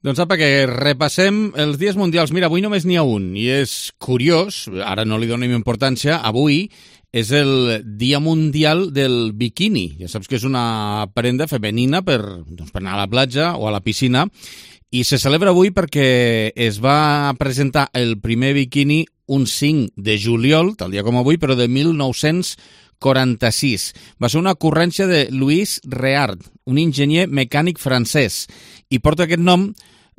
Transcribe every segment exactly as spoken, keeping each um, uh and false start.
Doncs apa, que repassem els dies mundials. Mira, avui només n'hi ha un, i és curiós, ara no li donem importància, avui és el Dia Mundial del Biquini. Ja saps que és una prenda femenina per, doncs, per anar a la platja o a la piscina, i se celebra avui perquè es va presentar el primer biquini un cinc de juliol, tal dia com avui, però de mil nou-cents quaranta-sis. Va ser una ocurrència de Louis Réard, un enginyer mecànic francès, i porta aquest nom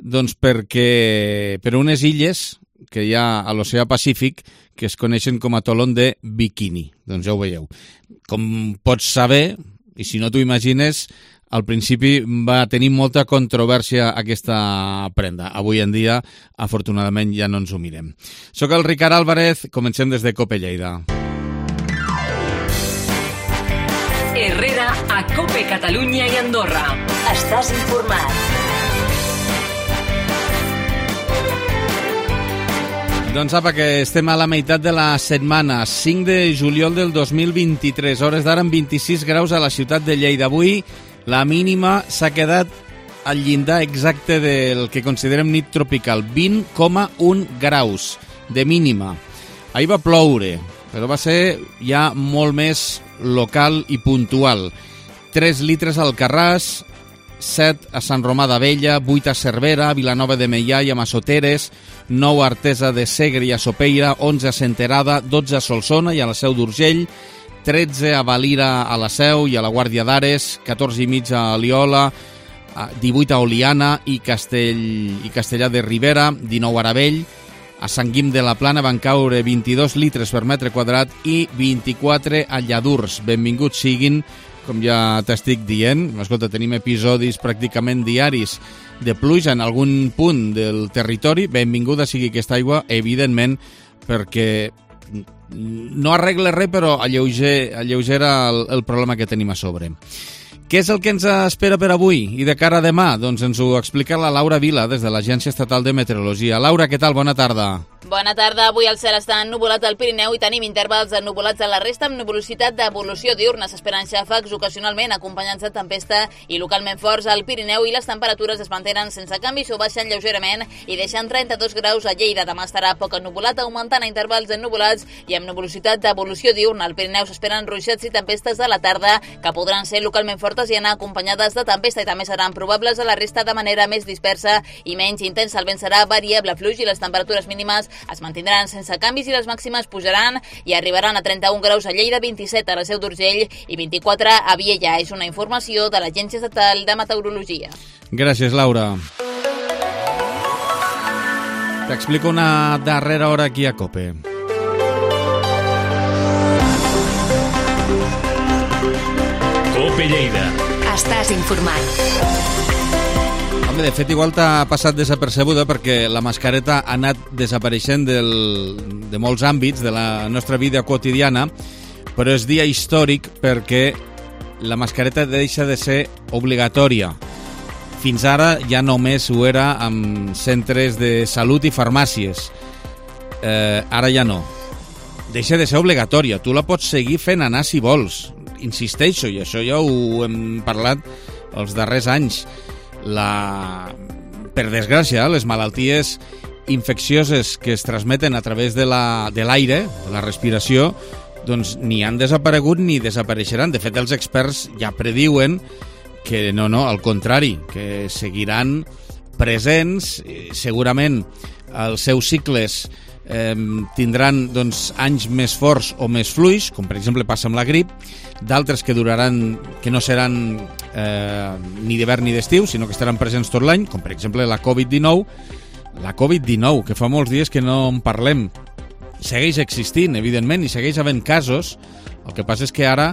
doncs, perquè per unes illes que hi ha a l'oceà Pacífic que es coneixen com a Tolón de Bikini. Doncs ja ho veieu. Com pots saber, i si no t'ho imagines, al principi va tenir molta controvèrsia aquesta prenda. Avui en dia, afortunadament, ja no ens ho mirem. Soc el Ricard Álvarez, comencem des de COPE Lleida. Herrera a COPE Catalunya i Andorra. Estàs informat. Doncs apa, que estem a la meitat de la setmana, cinc de juliol del dos mil vint-i-tres, hores d'ara amb vint-i-sis graus a la ciutat de Lleida. Avui la mínima s'ha quedat al llindar exacte del que considerem nit tropical, vint coma un graus de mínima. Ahir va ploure, però va ser ja molt més local i puntual. tres litres al Alcarràs, set a Sant Romà d'Abella, vuit a Cervera, a Vilanova de Meià i a Massoteres, nou a Artesa de Segre i a Sopeira, onze a Senterada, dotze a Solsona i a la Seu d'Urgell, tretze a Valira a la Seu i a la Guàrdia d'Ares, catorze i mig a Aliola, divuit a Oliana i, Castell, i Castellà de Ribera, dinou a Aravell, a Sant Guim de la Plana van caure vint-i-dos litres per metre quadrat i vint-i-quatre a Lladurs. Benvinguts siguin, com ja t'estic dient. Escolta, tenim episodis pràcticament diaris de pluja en algun punt del territori. Benvinguda sigui aquesta aigua, evidentment, perquè no arregla res, però alleuger, alleugera el, el problema que tenim a sobre. Què és el que ens espera per avui i de cara a demà? Doncs ens ho explica la Laura Vila des de l'Agència Estatal de Meteorologia. Laura, què tal? Bona tarda. Bona tarda. Avui el cel està ennuvolat al Pirineu i tenim intervals ennuvolats a la resta amb nuvolositat d'evolució diurna. S'esperen xàfecs ocasionalment acompanyats de tempesta i localment forts al Pirineu i les temperatures es mantenen sense canvis o baixen lleugerament i deixen trenta-dos graus a Lleida. Demà estarà poc ennuvolat, augmentant a intervals ennuvolats i amb nuvolositat d'evolució diurna. Al Pirineu s'esperen ruixats i tempestes a la tarda que podran ser localment fortes i anar acompanyades de tempesta i també seran probables a la resta de manera més dispersa i menys intensa. El vent serà variable fluix i les temperatures mínimes es mantindran sense canvis i les màximes pujaran i arribaran a trenta-un graus a Lleida, vint-i-set a la Seu d'Urgell i vint-i-quatre a Viella. És una informació de l'Agència Estatal de Meteorologia. Gràcies, Laura. T'explico una darrera hora aquí a COPE. COPE Lleida. Estàs informat. Home, de fet, igual t'ha passat desapercebuda perquè la mascareta ha anat desapareixent del, de molts àmbits de la nostra vida quotidiana, però és dia històric perquè la mascareta deixa de ser obligatòria. Fins ara ja només ho era amb centres de salut i farmàcies. Eh, ara ja no. Deixa de ser obligatòria. Tu la pots seguir fent anar si vols. Insisteixo, i això ja ho hem parlat els darrers anys. La... Per desgràcia, les malalties infeccioses que es transmeten a través de la, de l'aire, de la respiració, doncs ni han desaparegut ni desapareixeran. De fet, els experts ja prediuen que no, no, al contrari, que seguiran presents, segurament els seus cicles eh, tindran doncs, anys més forts o més fluix, com per exemple passa amb la grip, d'altres que duraran, que no seran eh, ni d'hivern ni d'estiu, sinó que estaran presents tot l'any, com per exemple la covid dinou, la covid dinou, que fa molts dies que no en parlem, segueix existint, evidentment, i segueix havent casos. El que passa és que ara,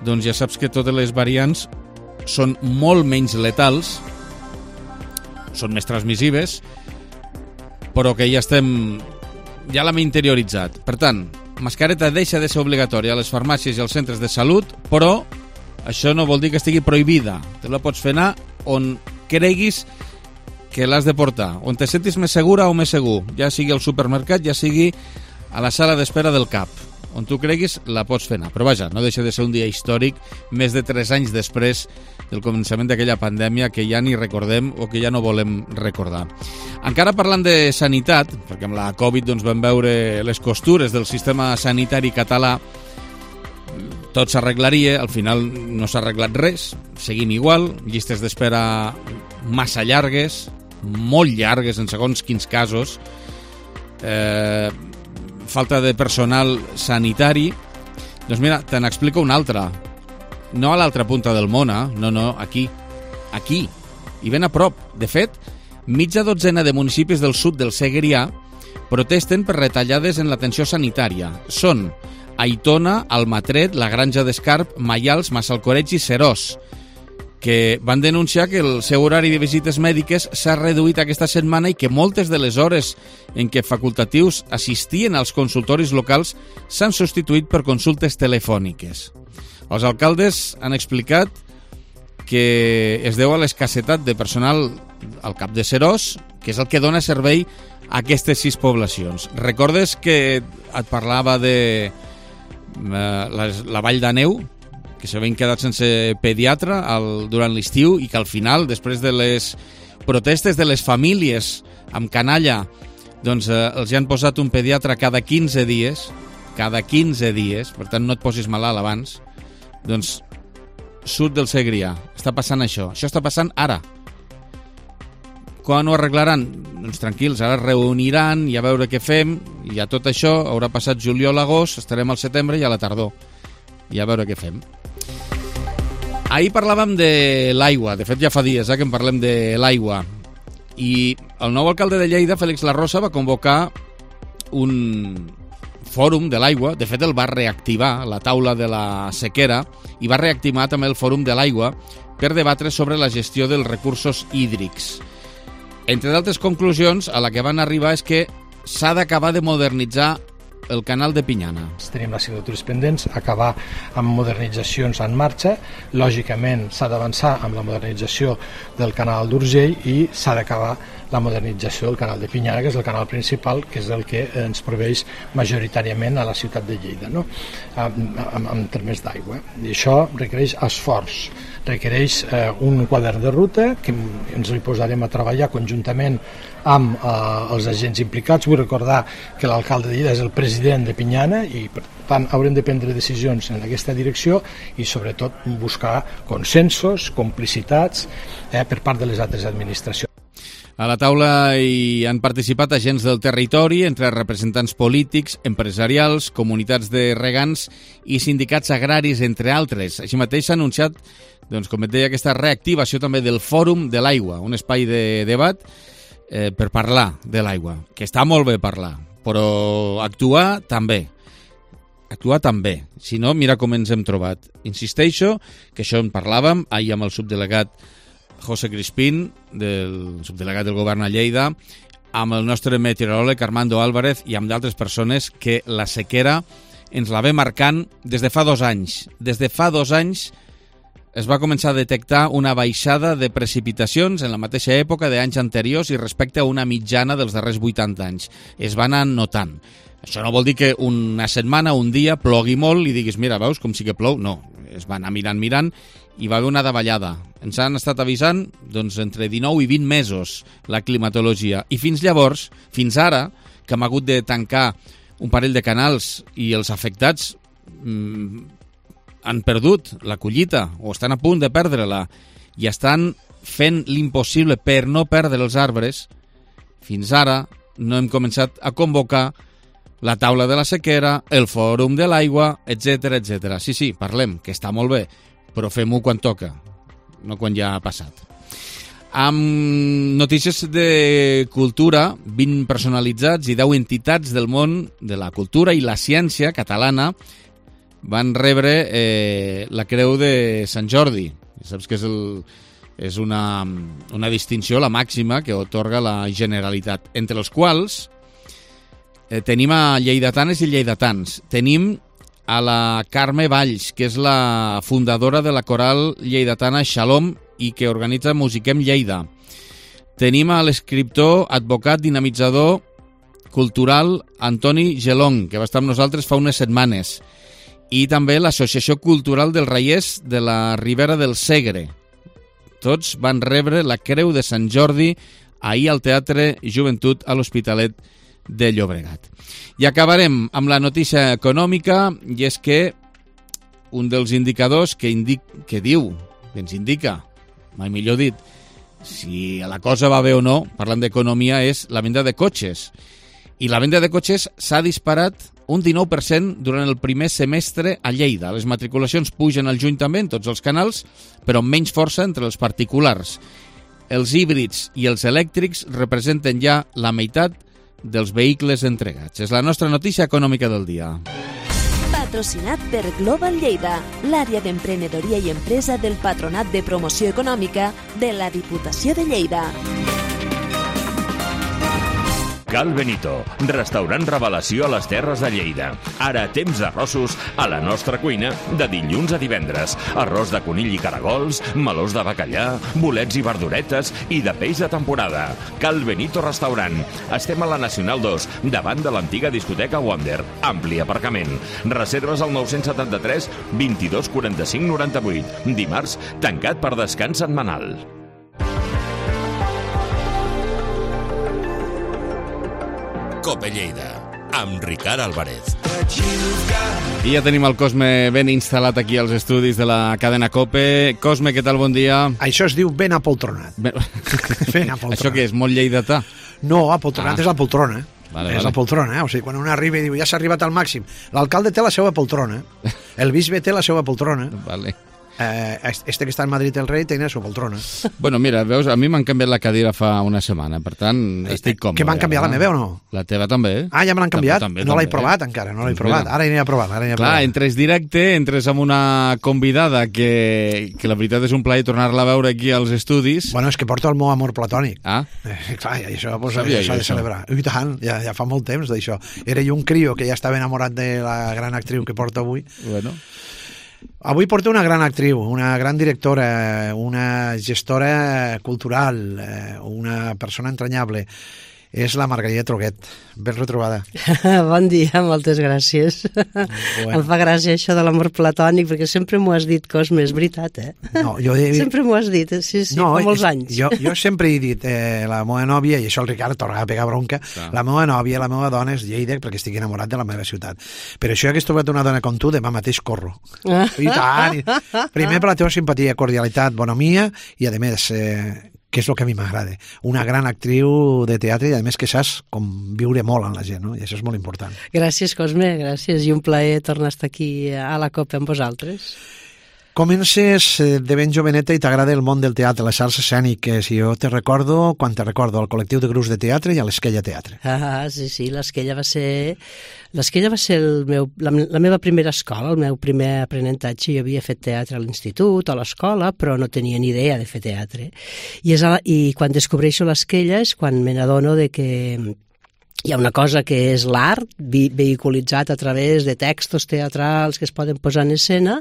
doncs ja saps que totes les variants són molt menys letals, són més transmissives, però que ja estem, ja l'hem interioritzat. Per tant, mascareta deixa de ser obligatòria a les farmàcies i als centres de salut, però això no vol dir que estigui prohibida. Te la pots fer anar on creguis que l'has de portar, on te sentis més segura o més segur, ja sigui al supermercat, ja sigui a la sala d'espera del C A P. on tu creguis la pots fer anar. Però vaja, no deixa de ser un dia històric més de tres anys després del començament d'aquella pandèmia que ja ni recordem o que ja no volem recordar. Encara parlant de sanitat, perquè amb la Covid doncs, vam veure les costures del sistema sanitari català, tot s'arreglaria, al final no s'ha arreglat res, seguim igual, llistes d'espera massa llargues, molt llargues en segons quins casos, eh, falta de personal sanitari. Doncs mira, te n'explico una altra. No a l'altra punta del món, eh? no, no, aquí, aquí, i ben a prop. De fet, mitja dotzena de municipis del sud del Segrià protesten per retallades en l'atenció sanitària. Són Aitona, Almatret, la Granja d'Escarp, Maials, Massalcoreig i Serós, que van denunciar que el seu horari de visites mèdiques s'ha reduït aquesta setmana i que moltes de les hores en què facultatius assistien als consultoris locals s'han substituït per consultes telefòniques. Els alcaldes han explicat que es deu a l'escassetat de personal al cap de Serós, que és el que dona servei a aquestes sis poblacions. Recordes que et parlava de la, la Vall d'Aneu, que s'havien quedat sense pediatre al, durant l'estiu i que al final, després de les protestes de les famílies amb canalla, doncs eh, els hi han posat un pediatre cada quinze dies, cada quinze dies, per tant no et posis malalt abans. Doncs sud del Segrià està passant això, això està passant ara. Quan ho arreglaran? Doncs tranquils, ara reuniran i a veure què fem, i a tot això haurà passat juliol, agost, estarem al setembre i a la tardor, i a veure què fem. Ahir parlàvem de l'aigua, de fet ja fa dies eh, que en parlem de l'aigua, i el nou alcalde de Lleida, Félix Larrosa, va convocar un fòrum de l'aigua. De fet el va reactivar, la taula de la sequera, i va reactivar també el fòrum de l'aigua per debatre sobre la gestió dels recursos hídrics. Entre d'altres conclusions, a la que van arribar és que s'ha d'acabar de modernitzar el canal de Pinyana. Tenim les signatures pendents, acabar amb modernitzacions en marxa. Lògicament s'ha d'avançar amb la modernització del canal d'Urgell i s'ha d'acabar la modernització del canal de Pinyana, que és el canal principal, que és el que ens proveix majoritàriament a la ciutat de Lleida, no? en, en, en termes d'aigua. I això requereix esforç, requereix eh, un quadern de ruta que ens hi posarem a treballar conjuntament amb eh, els agents implicats. Vull recordar que l'alcalde de Lleida és el president de Pinyana i per tant haurem de prendre decisions en aquesta direcció i sobretot buscar consensos, complicitats eh, per part de les altres administracions. A la taula hi han participat agents del territori, entre representants polítics, empresarials, comunitats de regants i sindicats agraris, entre altres. Així mateix s'ha anunciat, doncs, com et deia, aquesta reactivació també del Fòrum de l'Aigua, un espai de debat eh, per parlar de l'aigua, que està molt bé parlar, però actuar també. Actuar també. Si no, mira com ens hem trobat. Insisteixo que això en parlàvem ahir amb el subdelegat José Crispín, del subdelegat del govern a Lleida, amb el nostre meteoròleg Armando Álvarez i amb d'altres persones que la sequera ens la ve marcant des de fa dos anys. Des de fa dos anys es va començar a detectar una baixada de precipitacions en la mateixa època d'anys anteriors i respecte a una mitjana dels darrers vuitanta anys. Es va anar notant. Això no vol dir que una setmana, un dia, plogui molt i diguis, mira, veus com sí que plou? No, es va anar mirant, mirant, i va haver una davallada. Ens han estat avisant doncs, entre dinou i vint mesos la climatologia. I fins llavors, fins ara, que hem hagut de tancar un parell de canals i els afectats mmm, han perdut la collita o estan a punt de perdre-la i estan fent l'impossible per no perdre els arbres, fins ara no hem començat a convocar la taula de la sequera, el fòrum de l'aigua, etcètera, etcètera. Sí, sí, parlem, que està molt bé, però fem-ho quan toca, no quan ja ha passat. Amb notícies de cultura, vint personalitzats i deu entitats del món de la cultura i la ciència catalana van rebre eh, la Creu de Sant Jordi. Saps que és, el, és una, una distinció, la màxima, que otorga la Generalitat, entre els quals eh, tenim a lleidatanes i lleidatans. Tenim a la Carme Valls, que és la fundadora de la coral lleidatana Shalom i que organitza Musiquem Lleida. Tenim a l'escriptor, advocat, dinamitzador Cultural Antoni Gelong, que va estar amb nosaltres fa unes setmanes, i també l'Associació Cultural dels Raiers de la Ribera del Segre. Tots van rebre la Creu de Sant Jordi ahir al Teatre Joventut a l'Hospitalet de Llobregat. I acabarem amb la notícia econòmica, i és que un dels indicadors que, indic, que diu, que ens indica, mai millor dit, si la cosa va bé o no, parlant d'economia, és la venda de cotxes. I la venda de cotxes s'ha disparat un dinou per cent durant el primer semestre a Lleida. Les matriculacions pugen al juny també en tots els canals, però amb menys força entre els particulars. Els híbrids i els elèctrics representen ja la meitat dels vehicles entregats. És la nostra notícia econòmica del dia. Patrocinat per Global Lleida, l'àrea d'emprenedoria i empresa del Patronat de Promoció Econòmica de la Diputació de Lleida. Cal Benito, restaurant revelació a les Terres de Lleida. Ara temps d'arrossos a la nostra cuina de dilluns a divendres. Arròs de conill i caragols, melós de bacallà, bolets i verduretes i de peix de temporada. Cal Benito Restaurant. Estem a la Nacional dos, davant de l'antiga discoteca Wonder. Ampli aparcament. Reserves al nou setanta-tres vint-i-dos quaranta-cinc noranta-vuit. Dimarts, tancat per descans setmanal. Cope Lleida, amb Ricard Álvarez. I ja tenim el Cosme ben instal·lat aquí als estudis de la cadena Cope. Cosme, què tal? Bon dia. Això es diu ben apoltronat. Ben, ben apoltronat. Això què és, molt lleidatà? No, apoltronat ah. és la poltrona. Vale, és vale. la poltrona, eh? O sigui, quan un arriba i diu ja s'ha arribat al màxim. L'alcalde té la seva poltrona, el bisbe té la seva poltrona. Vale. Eh, este que està en Madrid el rei té la seva poltrona. Bueno, mira, veus, a mi m'han canviat la cadira fa una setmana, per tant, estic còmode. Que m'han canviat la meva o no? La teva també. Ah, ja me l'han canviat? També, no l'he també. provat encara, no l'he provat. Ara aniré a provar. Ara aniré a Clar, provar. entres directe, entres amb una convidada que, que la veritat és un plaer tornar-la a veure aquí als estudis. Bueno, és que porto el meu amor platònic. Ah? Eh, clar, i això pues, Sabia s'ha jo, de celebrar. I tant, ja, ja fa molt temps d'això. Era jo un crio que ja estava enamorat de la gran actriu que porto avui. Bueno... Avui porto una gran actriu, una gran directora, una gestora cultural, una persona entranyable. És la Margarida Troguet. Ben retrobada. Bon dia, moltes gràcies. Bueno. Em fa gràcia això de l'amor platònic, perquè sempre m'ho has dit, Cosme, és veritat, eh? No, jo he... Sempre m'ho has dit, sí, sí, no, fa molts anys. Jo, jo sempre he dit, eh, la meva nòvia, i això el Ricard torna a pegar bronca, ah. la meva nòvia, la meva dona és Lleida, perquè estic enamorat de la meva ciutat. Però això que he trobat una dona com tu, demà mateix corro. Ah. I tant! Primer per la teva simpatia, cordialitat, bonomia, i a més... Eh, que és el que a mi m'agrada. Una gran actriu de teatre i a més que saps com viure molt amb la gent, no? I això és molt important. Gràcies, Cosme, gràcies. I un plaer tornar a estar aquí a la Copa amb vosaltres. Comences de ben joveneta i t'agrada el món del teatre, les arts escèniques. I jo te recordo, quan te recordo, al col·lectiu de grups de teatre i a l'Esquella Teatre. Ah, sí, sí, l'Esquella va ser... L'Esquella va ser el meu, la, la meva primera escola, el meu primer aprenentatge. Jo havia fet teatre a l'institut, a l'escola, però no tenia ni idea de fer teatre. I, és a, i quan descobreixo l'Esquella és quan me n'adono de que hi ha una cosa que és l'art vehiculitzat a través de textos teatrals que es poden posar en escena,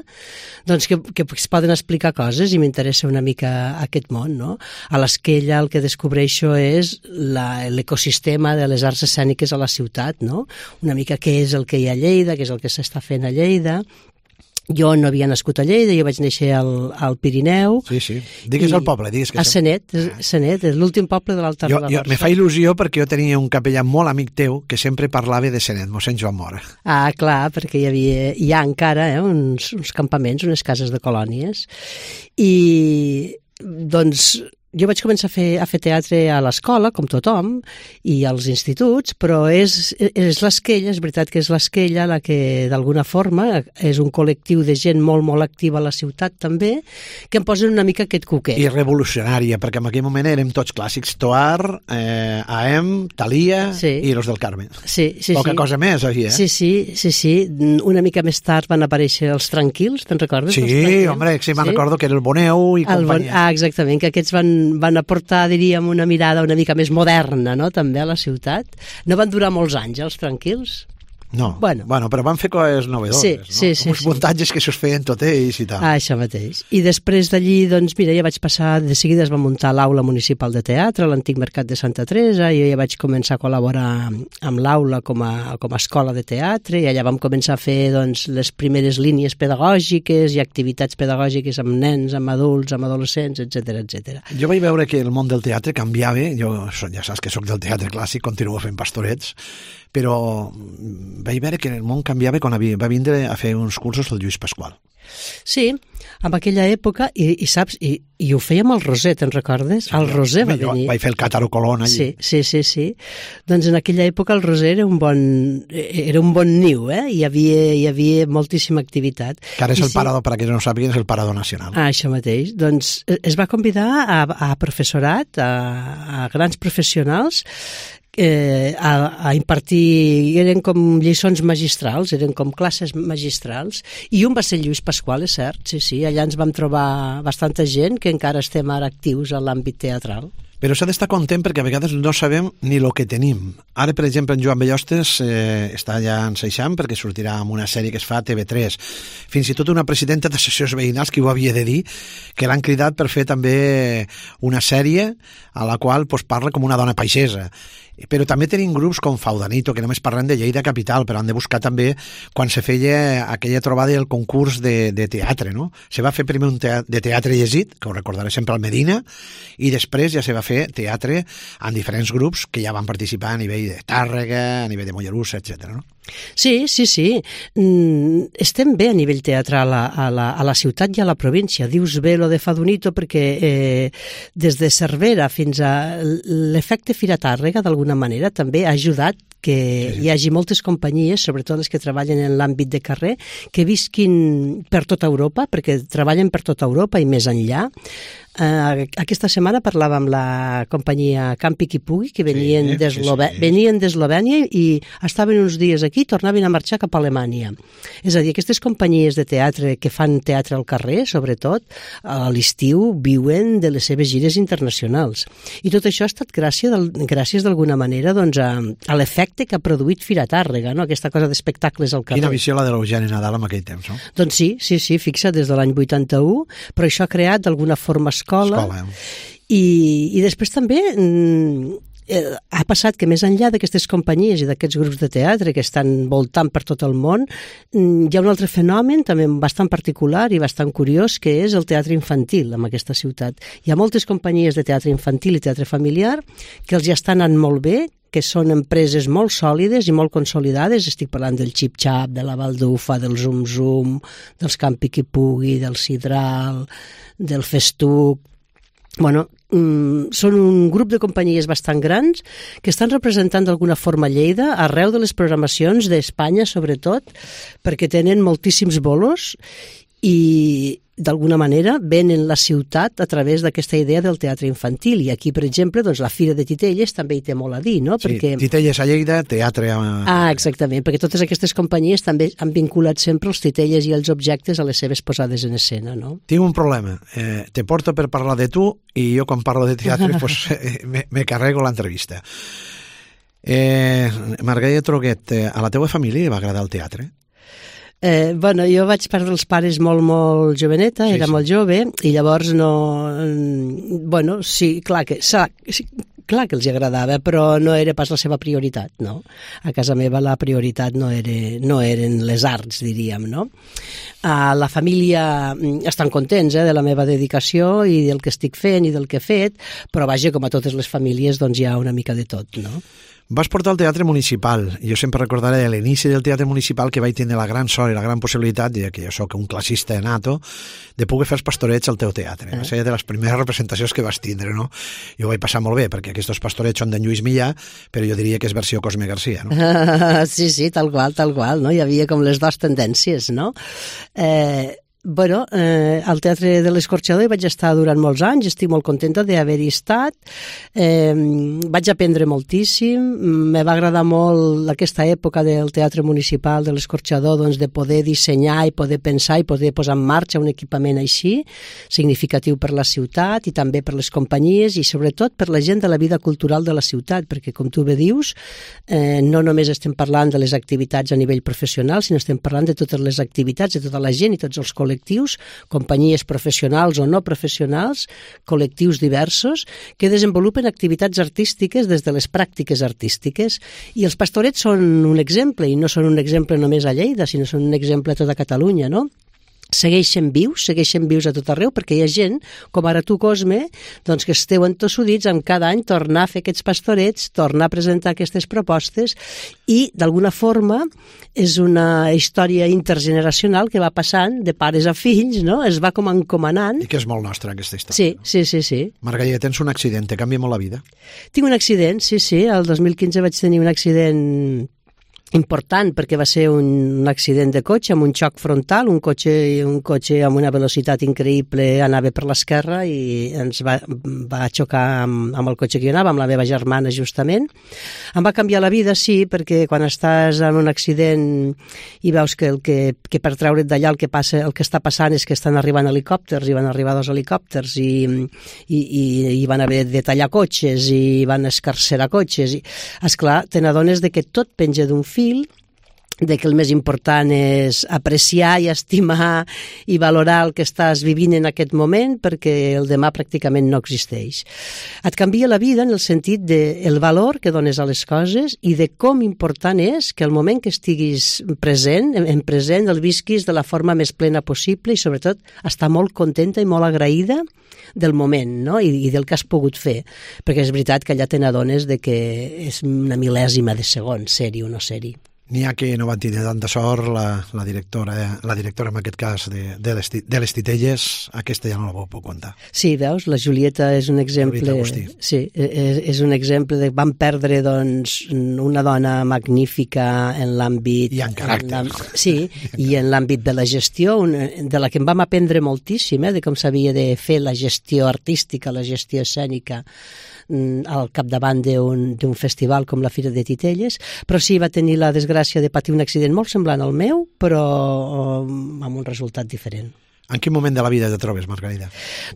doncs que, que es poden explicar coses, i m'interessa una mica aquest món, no? A l'Esquella el que descobreixo és l'ecosistema de les arts escèniques a la ciutat, no? Una mica què és el que hi ha a Lleida, què és el que s'està fent a Lleida. Jo no havia nascut a Lleida, jo vaig néixer al, al Pirineu. Sí, sí. Digues el poble, digues que... A Senet, Senet, és l'últim poble de l'Alta Ribagorça. Me fa il·lusió perquè jo tenia un capellà molt amic teu que sempre parlava de Senet, mossèn Joan Mora. Ah, clar, perquè hi havia, hi ha encara eh, uns, uns campaments, unes cases de colònies, i doncs... Jo vaig començar a fer, a fer teatre a l'escola, com tothom, i als instituts, però és, és l'Esquella, és veritat que és l'Esquella la que, d'alguna forma, és un col·lectiu de gent molt, molt activa a la ciutat, també, que em posen una mica aquest coquet. I revolucionària, perquè en aquell moment érem tots clàssics, Toar, eh, A M, Thalia sí. i Los del Carmen. Sí, sí, Poca sí. cosa més, aquí, eh? Sí, sí, sí, sí. Una mica més tard van aparèixer els Tranquils, te'n recordes? Sí, home, sí, me'n sí? recordo que era el Boneu i el companyia. Bon... Ah, exactament, que aquests van van aportar, diríem, una mirada una mica més moderna, no?, també a la ciutat. No van durar molts anys, els Tranquils? No, bueno, bueno però van fer coses novedores, sí, no? Sí, sí, uns sí. muntatges que s'us feien tot ells i tal. Ah, això mateix. I després d'allí, doncs, mira, ja vaig passar, de seguida es va muntar l'aula municipal de teatre, l'antic mercat de Santa Teresa, i jo ja vaig començar a col·laborar amb l'aula com a, com a escola de teatre, i allà vam començar a fer, doncs, les primeres línies pedagògiques i activitats pedagògiques amb nens, amb adults, amb adolescents, etcètera, etcètera. Jo vaig veure que el món del teatre canviava, jo ja saps que sóc del teatre clàssic, continuo fent pastorets, però vaig veure que el món canviava quan va vindre a fer uns cursos del Lluís Pasqual. Sí, en aquella època, i, i saps, i, i ho fèiem al Roser, te'n recordes? Sí, el Roser va venir. Vaig fer el Càtaro Colón allí. Sí, sí, sí, sí. Doncs en aquella època el Roser era un bon, era un bon niu, eh? Hi havia, hi havia moltíssima activitat. Que ara és I el sí, parador, per a qui no sàpiguen, és el parador nacional. Ah, això mateix. Doncs es va convidar a, a professorat, a, a grans professionals, Eh, a, a impartir, eren com lliçons magistrals, eren com classes magistrals, i un va ser Lluís Pasqual, és cert, sí, sí, allà ens vam trobar bastanta gent que encara estem ara actius en l'àmbit teatral. Però s'ha d'estar content perquè a vegades no sabem ni el que tenim. Ara, per exemple, en Joan Bellostes eh, està ja enseixant perquè sortirà amb una sèrie que es fa a T V tres. Fins i tot una presidenta d'associacions veïnals que ho havia de dir, que l'han cridat per fer també una sèrie a la qual pues, parla com una dona paisesa. Però també tenim grups com Faudanito, que només parlen de Lleida Capital, però han de buscar també quan se feia aquella trobada del concurs de, de teatre, no? Se va fer primer un teatre, de teatre llegit, que ho recordaré sempre al Medina, i després ja se va fer teatre en diferents grups que ja van participar a nivell de Tàrrega, a nivell de Mollerussa, etcètera, no? Sí, sí, sí. Mm, estem bé a nivell teatral a, a, la, a la ciutat i a la província. Dius bé lo de Fadonito perquè eh, des de Cervera fins a l'efecte Fira Tàrrega, d'alguna manera, també ha ajudat que sí, sí. hi hagi moltes companyies, sobretot les que treballen en l'àmbit de carrer, que visquin per tota Europa, perquè treballen per tota Europa i més enllà. Uh, aquesta setmana parlava amb la companyia Campi qui pugui, que venien sí, d'Eslovè- sí, sí. venien d'Eslovènia i estaven uns dies aquí i tornaven a marxar cap a Alemanya. És a dir, aquestes companyies de teatre que fan teatre al carrer, sobretot, a l'estiu viuen de les seves gires internacionals. I tot això ha estat gràcies, del, gràcies d'alguna manera doncs, a, a l'efecte que ha produït Fira Tàrrega, no? Aquesta cosa d'espectacles al carrer. Quina visió la de l'Eugeni Nadal en aquell temps, no? Doncs sí, sí, sí, fixa, des de l'any vuitanta-u, però això ha creat d'alguna forma escola, escola eh? I, i després també mm, eh, ha passat que més enllà d'aquestes companyies i d'aquests grups de teatre que estan voltant per tot el món, mm, hi ha un altre fenomen també bastant particular i bastant curiós, que és el teatre infantil en aquesta ciutat. Hi ha moltes companyies de teatre infantil i teatre familiar que els ja estan anant molt bé, que són empreses molt sòlides i molt consolidades. Estic parlant del Xip Xap, de la Baldufa, del Zum Zum, dels Campi qui pugui, del Sidral, del Festuc. Bueno, mm, són un grup de companyies bastant grans que estan representant d'alguna forma Lleida arreu de les programacions d'Espanya, sobretot, perquè tenen moltíssims bolos i d'alguna manera venen la ciutat a través d'aquesta idea del teatre infantil. I aquí, per exemple, doncs, la Fira de Titelles també hi té molt a dir, no? Sí, perquè... Titelles a Lleida, teatre a... Ah, exactament, perquè totes aquestes companyies també han vinculat sempre els titelles i els objectes a les seves posades en escena, no? Tinc un problema. Eh, te porto per parlar de tu i jo quan parlo de teatre pues, eh, me, me carrego l'entrevista. Eh, Margarida Troguet, eh, a la teua família li va agradar el teatre? Eh, bueno, jo vaig perdre els pares molt, molt joveneta, sí, era sí. molt jove, i llavors no... Bueno, sí, clar que, sí, clar que els agradava, però no era pas la seva prioritat, no? A casa meva la prioritat no, era, no eren les arts, diríem, no? A la família estan contents eh, de la meva dedicació i del que estic fent i del que he fet, però vaja, com a totes les famílies, doncs hi ha una mica de tot, no? Vas portar al teatre municipal. Jo sempre recordaré l'inici del teatre municipal que vaig tenir la gran sort i la gran possibilitat, ja que jo sóc un classista nato, de poder fer els pastorets al teu teatre. Va ser de les primeres representacions que vas tindre, no? Jo ho vaig passar molt bé, perquè aquests pastorets són d'en Lluís Millà, però jo diria que és versió Cosme Garcia, no? Sí, sí, tal qual, tal qual, no? Hi havia com les dues tendències, no? Eh... Bueno, eh, al Teatre de l'Escorxador hi vaig estar durant molts anys, estic molt contenta d'haver-hi estat, eh, vaig aprendre moltíssim, me va agradar molt aquesta època del Teatre Municipal de l'Escorxador, doncs, de poder dissenyar i poder pensar i poder posar en marxa un equipament així, significatiu per la ciutat i també per les companyies i sobretot per la gent de la vida cultural de la ciutat, perquè com tu bé dius, eh, no només estem parlant de les activitats a nivell professional, sinó estem parlant de totes les activitats, de tota la gent i tots els col·lectius col·lectius, companyies professionals o no professionals, col·lectius diversos, que desenvolupen activitats artístiques des de les pràctiques artístiques. I els pastorets són un exemple, i no són un exemple només a Lleida, sinó són un exemple a tota Catalunya, no? Segueixen vius, segueixen vius a tot arreu, perquè hi ha gent, com ara tu, Cosme, doncs que esteu entossudits en cada any tornar a fer aquests pastorets, tornar a presentar aquestes propostes i, d'alguna forma, és una història intergeneracional que va passant de pares a fills, no? Es va com encomanant. I que és molt nostra, aquesta història. Sí, no? sí, sí, sí. Margarida, tens un accident, te canvia molt la vida? Tinc un accident, sí, sí. El dos mil quinze vaig tenir un accident important perquè va ser un, un accident de cotxe amb un xoc frontal, un cotxe, un cotxe amb una velocitat increïble anava per l'esquerra i ens va, va xocar amb, amb el cotxe que jo anava, amb la meva germana justament. Em va canviar la vida, sí, perquè quan estàs en un accident i veus que, el que, que per treure't d'allà el que passa, el que està passant és que estan arribant helicòpters i van arribar dos helicòpters i, i, i, i van haver de tallar cotxes i van escarcerar cotxes i, esclar, te n'adones de que tot penja d'un fil, de que el més important és apreciar i estimar i valorar el que estàs vivint en aquest moment perquè el demà pràcticament no existeix. Et canvia la vida en el sentit del valor que dones a les coses i de com important és que el moment que estiguis present, en present, el visquis de la forma més plena possible i sobretot estar molt contenta i molt agraïda del moment, no? I, i del que has pogut fer, perquè és veritat que allà te n'adones de que és una mil·lèsima de segon ser-hi o no ser-hi. N'hi ha que no van tenir tanta sort, la, la directora, la directora en aquest cas de, de, les, de les Titelles, aquesta ja no la puc contar. Sí, veus, la Julieta és un exemple, sí, és, és un exemple de van perdre doncs una dona magnífica en l'àmbit... I en caràcter. En sí, i en l'àmbit de la gestió, una, de la que em vam aprendre moltíssim, eh, de com s'havia de fer la gestió artística, la gestió escènica, al capdavant d'un festival com la Fira de Titelles, però sí, va tenir la desgràcia de patir un accident molt semblant al meu, però amb un resultat diferent. En quin moment de la vida te trobes, Margarida?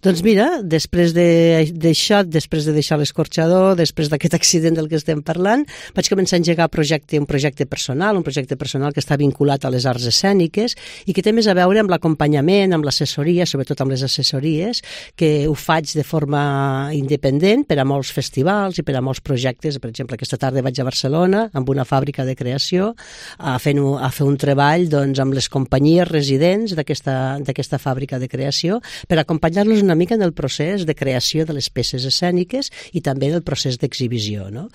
Doncs mira, després d'això, de, després de deixar l'Escorxador, després d'aquest accident del que estem parlant, vaig començar a engegar projecte, un projecte personal, un projecte personal que està vinculat a les arts escèniques i que té més a veure amb l'acompanyament, amb l'assessoria, sobretot amb les assessories, que ho faig de forma independent per a molts festivals i per a molts projectes. Per exemple, aquesta tarda vaig a Barcelona amb una fàbrica de creació a fer, a fer un treball doncs, amb les companyies residents d'aquesta fàbrica de creació per acompanyar-los una mica en el procés de creació de les peces escèniques i també en el procés d'exhibició, no?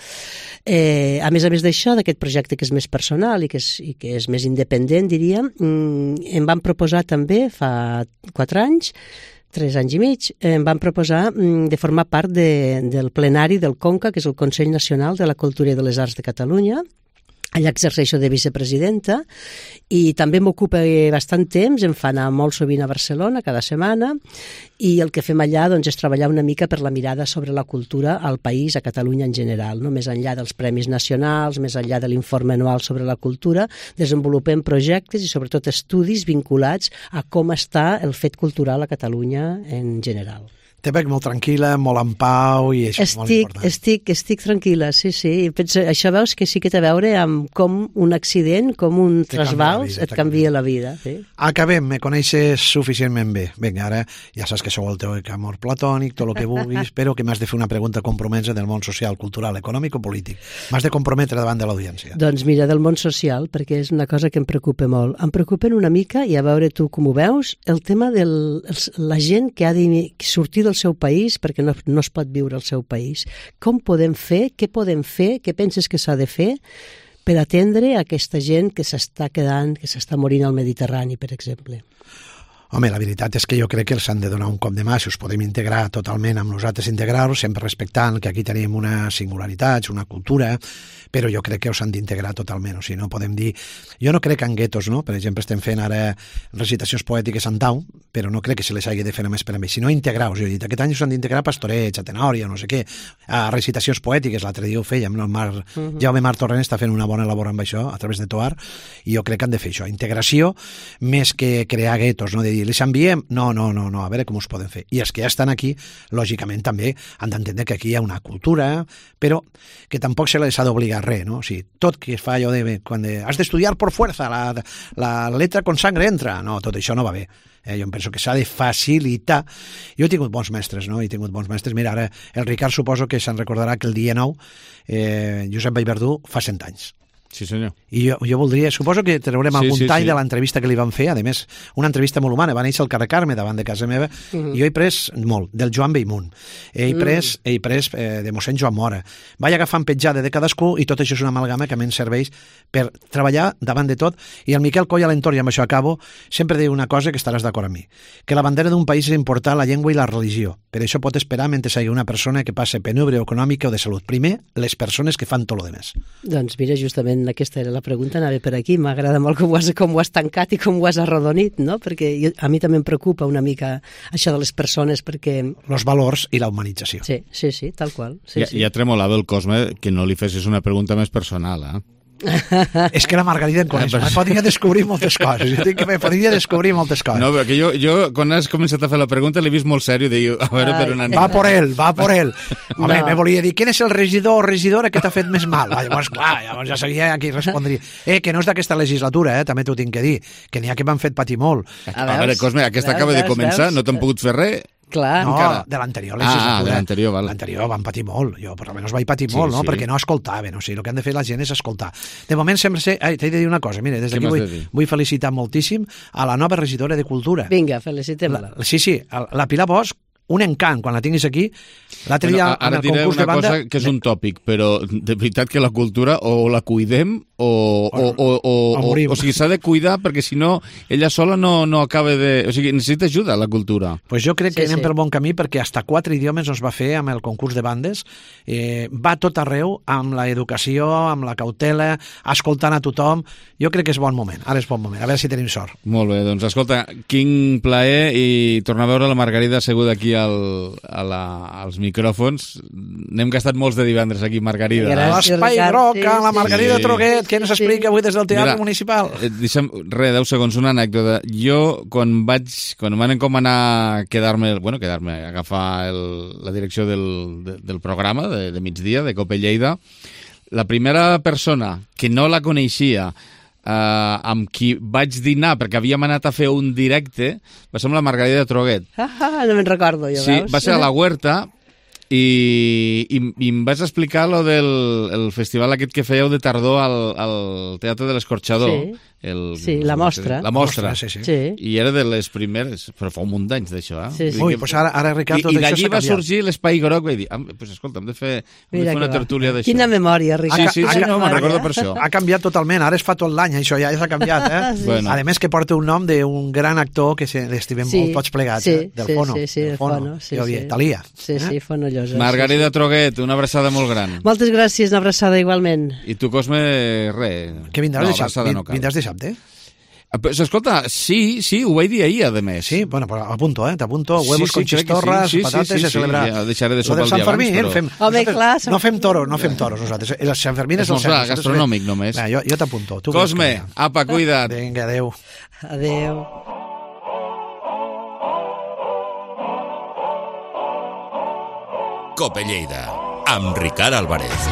Eh, a més a més d'això, d'aquest projecte que és més personal i que és, i que és més independent, diríem, em van proposar també fa quatre anys tres anys i mig, em van proposar de formar part de, del plenari del CONCA, que és el Consell Nacional de la Cultura i de les Arts de Catalunya. Allà exerceixo de vicepresidenta i també m'ocupa bastant temps, em fa anar molt sovint a Barcelona cada setmana i el que fem allà doncs, és treballar una mica per la mirada sobre la cultura al país, a Catalunya en general, no? Més enllà dels premis nacionals, més enllà de l'informe anual sobre la cultura, desenvolupem projectes i sobretot estudis vinculats a com està el fet cultural a Catalunya en general. Te veig molt tranquil·la, molt en pau i això estic, és molt important. Estic, estic tranquil·la, sí, sí. Penso, això veus que sí que té a veure amb com un accident, com un trasbals et canvia la vida. Sí. Acabem, me coneixes suficientment bé. Vinga, ara ja saps que sou el teu amor platònic, tot el que vulguis, però que m'has de fer una pregunta compromesa del món social, cultural, econòmic o polític. M'has de comprometre davant de l'audiència. Doncs mira, del món social, perquè és una cosa que em preocupa molt. Em preocupen una mica, i a veure tu com ho veus, el tema de la gent que ha de sortir del seu país perquè no, no es pot viure al seu país. Com podem fer? Què podem fer? Què penses que s'ha de fer per atendre aquesta gent que s'està quedant, que s'està morint al Mediterrani, per exemple? Home, la veritat és que jo crec que els han de donar un cop de mà, si us podem integrar totalment amb nosaltres, integrar-los, sempre respectant que aquí tenim una singularitat, una cultura, però jo crec que us han d'integrar totalment, o sigui, no podem dir... Jo no crec en guetos, no? Per exemple, estem fent ara recitacions poètiques en tau, però no crec que se les hagi de fer només per a mi, sinó integrar-los. Jo he dit, aquest any us han d'integrar pastorets, a tenòria, no sé què, a recitacions poètiques, l'altre dia ho fèiem, no? El Mar, uh-huh. Jaume Mar Torrent està fent una bona labor amb això, a través de Toar, i jo crec que han de fer això, integració, més que crear guetos, no? De dir, les enviem? No, no, no, no, a veure com us poden fer. I els que ja estan aquí, lògicament també han d'entendre que aquí hi ha una cultura, però que tampoc se les ha d'obligar res, no? O sigui, tot que es fa allò de... Quan de, has d'estudiar por fuerza, la, la letra con sangre entra. No, tot això no va bé. Eh, jo em penso que s'ha de facilitar. Jo he tingut bons mestres, no? He tingut bons mestres. Mira, ara el Ricard suposo que se'n recordarà que el dia nou eh, Josep Vallverdú fa cent anys. Sí, senyor. I jo, jo voldria, suposo que traurem sí, algun sí, tall sí. de l'entrevista que li van fer, a més, una entrevista molt humana, va néixer al carrer Carme davant de casa meva, uh-huh. i jo he pres molt, del Joan Bellmunt, he pres, uh-huh. he pres eh, de mossèn Joan Mora, vaig agafant petjada de cadascú i tot això és una amalgama que a mi em serveix per treballar davant de tot, i el Miquel Coll a l'entorn, i amb això acabo, sempre diu una cosa que estaràs d'acord amb mi, que la bandera d'un país és important la llengua i la religió, per això pot esperar mentre sigui una persona que passe penúria econòmica o de salut. Primer, les persones que fan tot lo demés. Doncs mira, justament aquesta era la pregunta, anava per aquí. M'agrada molt com ho, has, com ho has tancat i com ho has arrodonit, no? Perquè jo, a mi també em preocupa una mica això de les persones, perquè... Los valors i la humanització. Sí, sí, sí, tal qual. Sí, ja, sí. ja tremolava el Cosme que no li fessis una pregunta més personal, eh? És que la Margarida em coneix, me podria descobrir moltes coses, jo tinc que me podria descobrir moltes coses. No, perquè jo, jo quan has començat a fer la pregunta l'he vist molt sèrio, diu, a veure per on anem. Va por ell, va por ell. Home, no. Me volia dir, quin és el regidor o regidora que t'ha fet més mal? Va, llavors, clar, llavors ja sabia a qui respondria. Eh, que no és d'aquesta legislatura, eh, també t'ho tinc que dir, que n'hi ha que m'han fet patir molt. A, a veure, Cosme, aquesta veus, acaba veus, de començar, veus? No t'han pogut fer res. Clar. No, encara. De l'anterior legislatura. Ah, de l'anterior, val. L'anterior van patir molt, jo per almenys vaig patir sí, molt, no? Sí. Perquè no escoltaven, o sigui, el que han de fer la gent és escoltar. De moment sempre sé... Ai, t'he de dir una cosa, mira, des d'aquí vull, de vull felicitar moltíssim a la nova regidora de Cultura. Vinga, felicitem-la. Sí, sí, la Pilar Bosch, un encant, quan la tinguis aquí, l'altre dia bueno, en el concurs de banda... Ara diré una cosa que és un tòpic, però de veritat que la cultura o la cuidem o, o, o, o, o, o sigui, s'ha de cuidar perquè si no, ella sola no, no acaba de... O sigui, necessita ajuda la cultura. Pues jo crec que sí, anem sí. pel bon camí perquè hasta quatre idiomes ens va fer amb el concurs de bandes. Eh, va tot arreu amb l'educació, amb la cautela, escoltant a tothom. Jo crec que és bon moment, ara és bon moment, a veure si tenim sort. Molt bé, doncs escolta, quin plaer i tornar a veure la Margarida asseguda aquí al, a la, als micròfons. N'hem gastat molts de divendres aquí, Margarida. L'espai groc, la Margarida sí. Troguet, què ens explica avui des del Teatre Mira, Municipal? Eh, deixa'm, res, deu segons, una anècdota. Jo, quan vaig, quan em van encomanar a quedar-me, bueno, quedar-me, agafar el, la direcció del, de, del programa de, de migdia, de Cope Lleida, la primera persona que no la coneixia, Uh, amb qui vaig dinar, perquè havíem anat a fer un directe, va ser amb la Margarida Troguet. Ah, no me'n recordo, jo, sí, veus? Va ser a la Huerta i, i, i em vas explicar lo del el festival aquest que fèieu de tardor al, al Teatre de l'Escorxador. Sí. El, sí, la mostra. La mostra, sí, sí. sí. I era de les primeres, però fa un munt d'anys d'això, eh? Sí, sí. Ui, doncs ara, ara Ricard, tot I, això s'ha canviat. I d'allí va sorgir l'Espai Groc, vaig dir, ah, pues, escolta, hem de fer, hem de fer una tertúlia d'això. Quina memòria, Ricard. Sí, sí, sí, no, me'n recordo per això. Ha canviat totalment, ara es fa tot l'any, això ja s'ha canviat, eh? sí. Bueno. A més que porta un nom d'un gran actor que l'estimem sí. molt tots plegats, sí, eh? Del sí, Fono. Sí, sí, del Fono. Sí, sí. Talia. Sí, eh? sí, Fono Llosa. Margarida sí, sí. Troguet, una abraçada molt gran. Moltes gràcies, una abraçada igualment. I tu, Cosme, res. Que vindràs, no, de, dissabte, no vindràs dissabte? Pues, escolta, sí, sí, ho vaig dir ahir, a més. Sí, bueno, però apunto, eh? T'apunto, huevos sí, sí, con chistorras, sí, sí, patates, sí, sí, a celebrar. Sí, ja deixaré de sopar el dia Fermín, abans, però... Fem, Home, clar, som... No fem toros, no fem toros nosaltres. El Sant Fermín és el Sant Fermín. Gastronòmic només. Va, jo jo t'apunto. Cosme, apa, cuida't. Vinga, adeu. Adeu. Cope Lleida, amb Ricard Álvarez.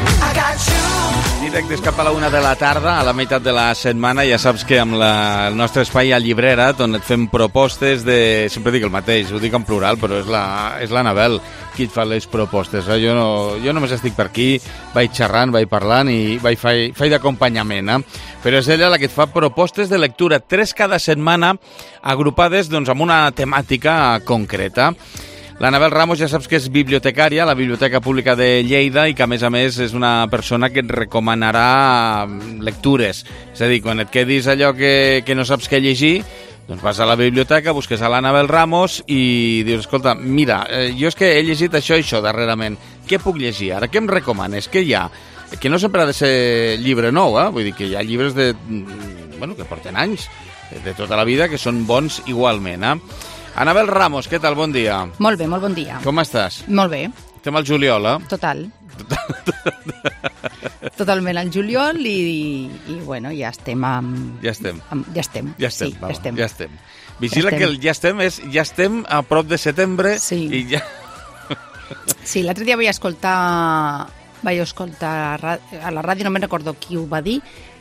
Directes cap a la una de la tarda, a la meitat de la setmana, ja saps que amb la, el nostre espai a Llibrera, on et fem propostes de... Sempre dic el mateix, ho dic en plural, però és la, és la Anabel qui et fa les propostes. Eh? Jo, no, jo només estic per aquí, vaig xerrant, vaig parlant i vaig faig, faig d'acompanyament. Eh? Però és ella la que et fa propostes de lectura, tres cada setmana, agrupades doncs, amb una temàtica concreta. L'Anabel Ramos ja saps que és bibliotecària a la Biblioteca Pública de Lleida i que, a més a més, és una persona que et recomanarà lectures. És a dir, quan et quedis allò que, que no saps què llegir, Doncs vas a la biblioteca, busques a l'Anabel Ramos i dius, escolta, mira, eh, jo és que he llegit això i això darrerament, què puc llegir ara? Què em recomanes? Què hi ha? Que no sempre ha de ser llibre nou, eh? Vull dir que hi ha llibres de, bueno, que porten anys, de tota la vida, que són bons igualment, eh? Anabel Ramos, què tal? Bon dia. Molt bé, molt bon dia. Com estàs? Molt bé. Estem al juliol, eh? Total. Totalment al juliol i, i bueno, ja estem amb... Ja estem. Amb, ja estem. Ja estem, sí, va, ja estem. Ja estem. Vigila ja estem. que el ja estem és ja estem a prop de setembre sí. i ja... Sí, l'altre dia vaig escoltar vaig escoltar a la ràdio, no me'n recordo qui ho va dir,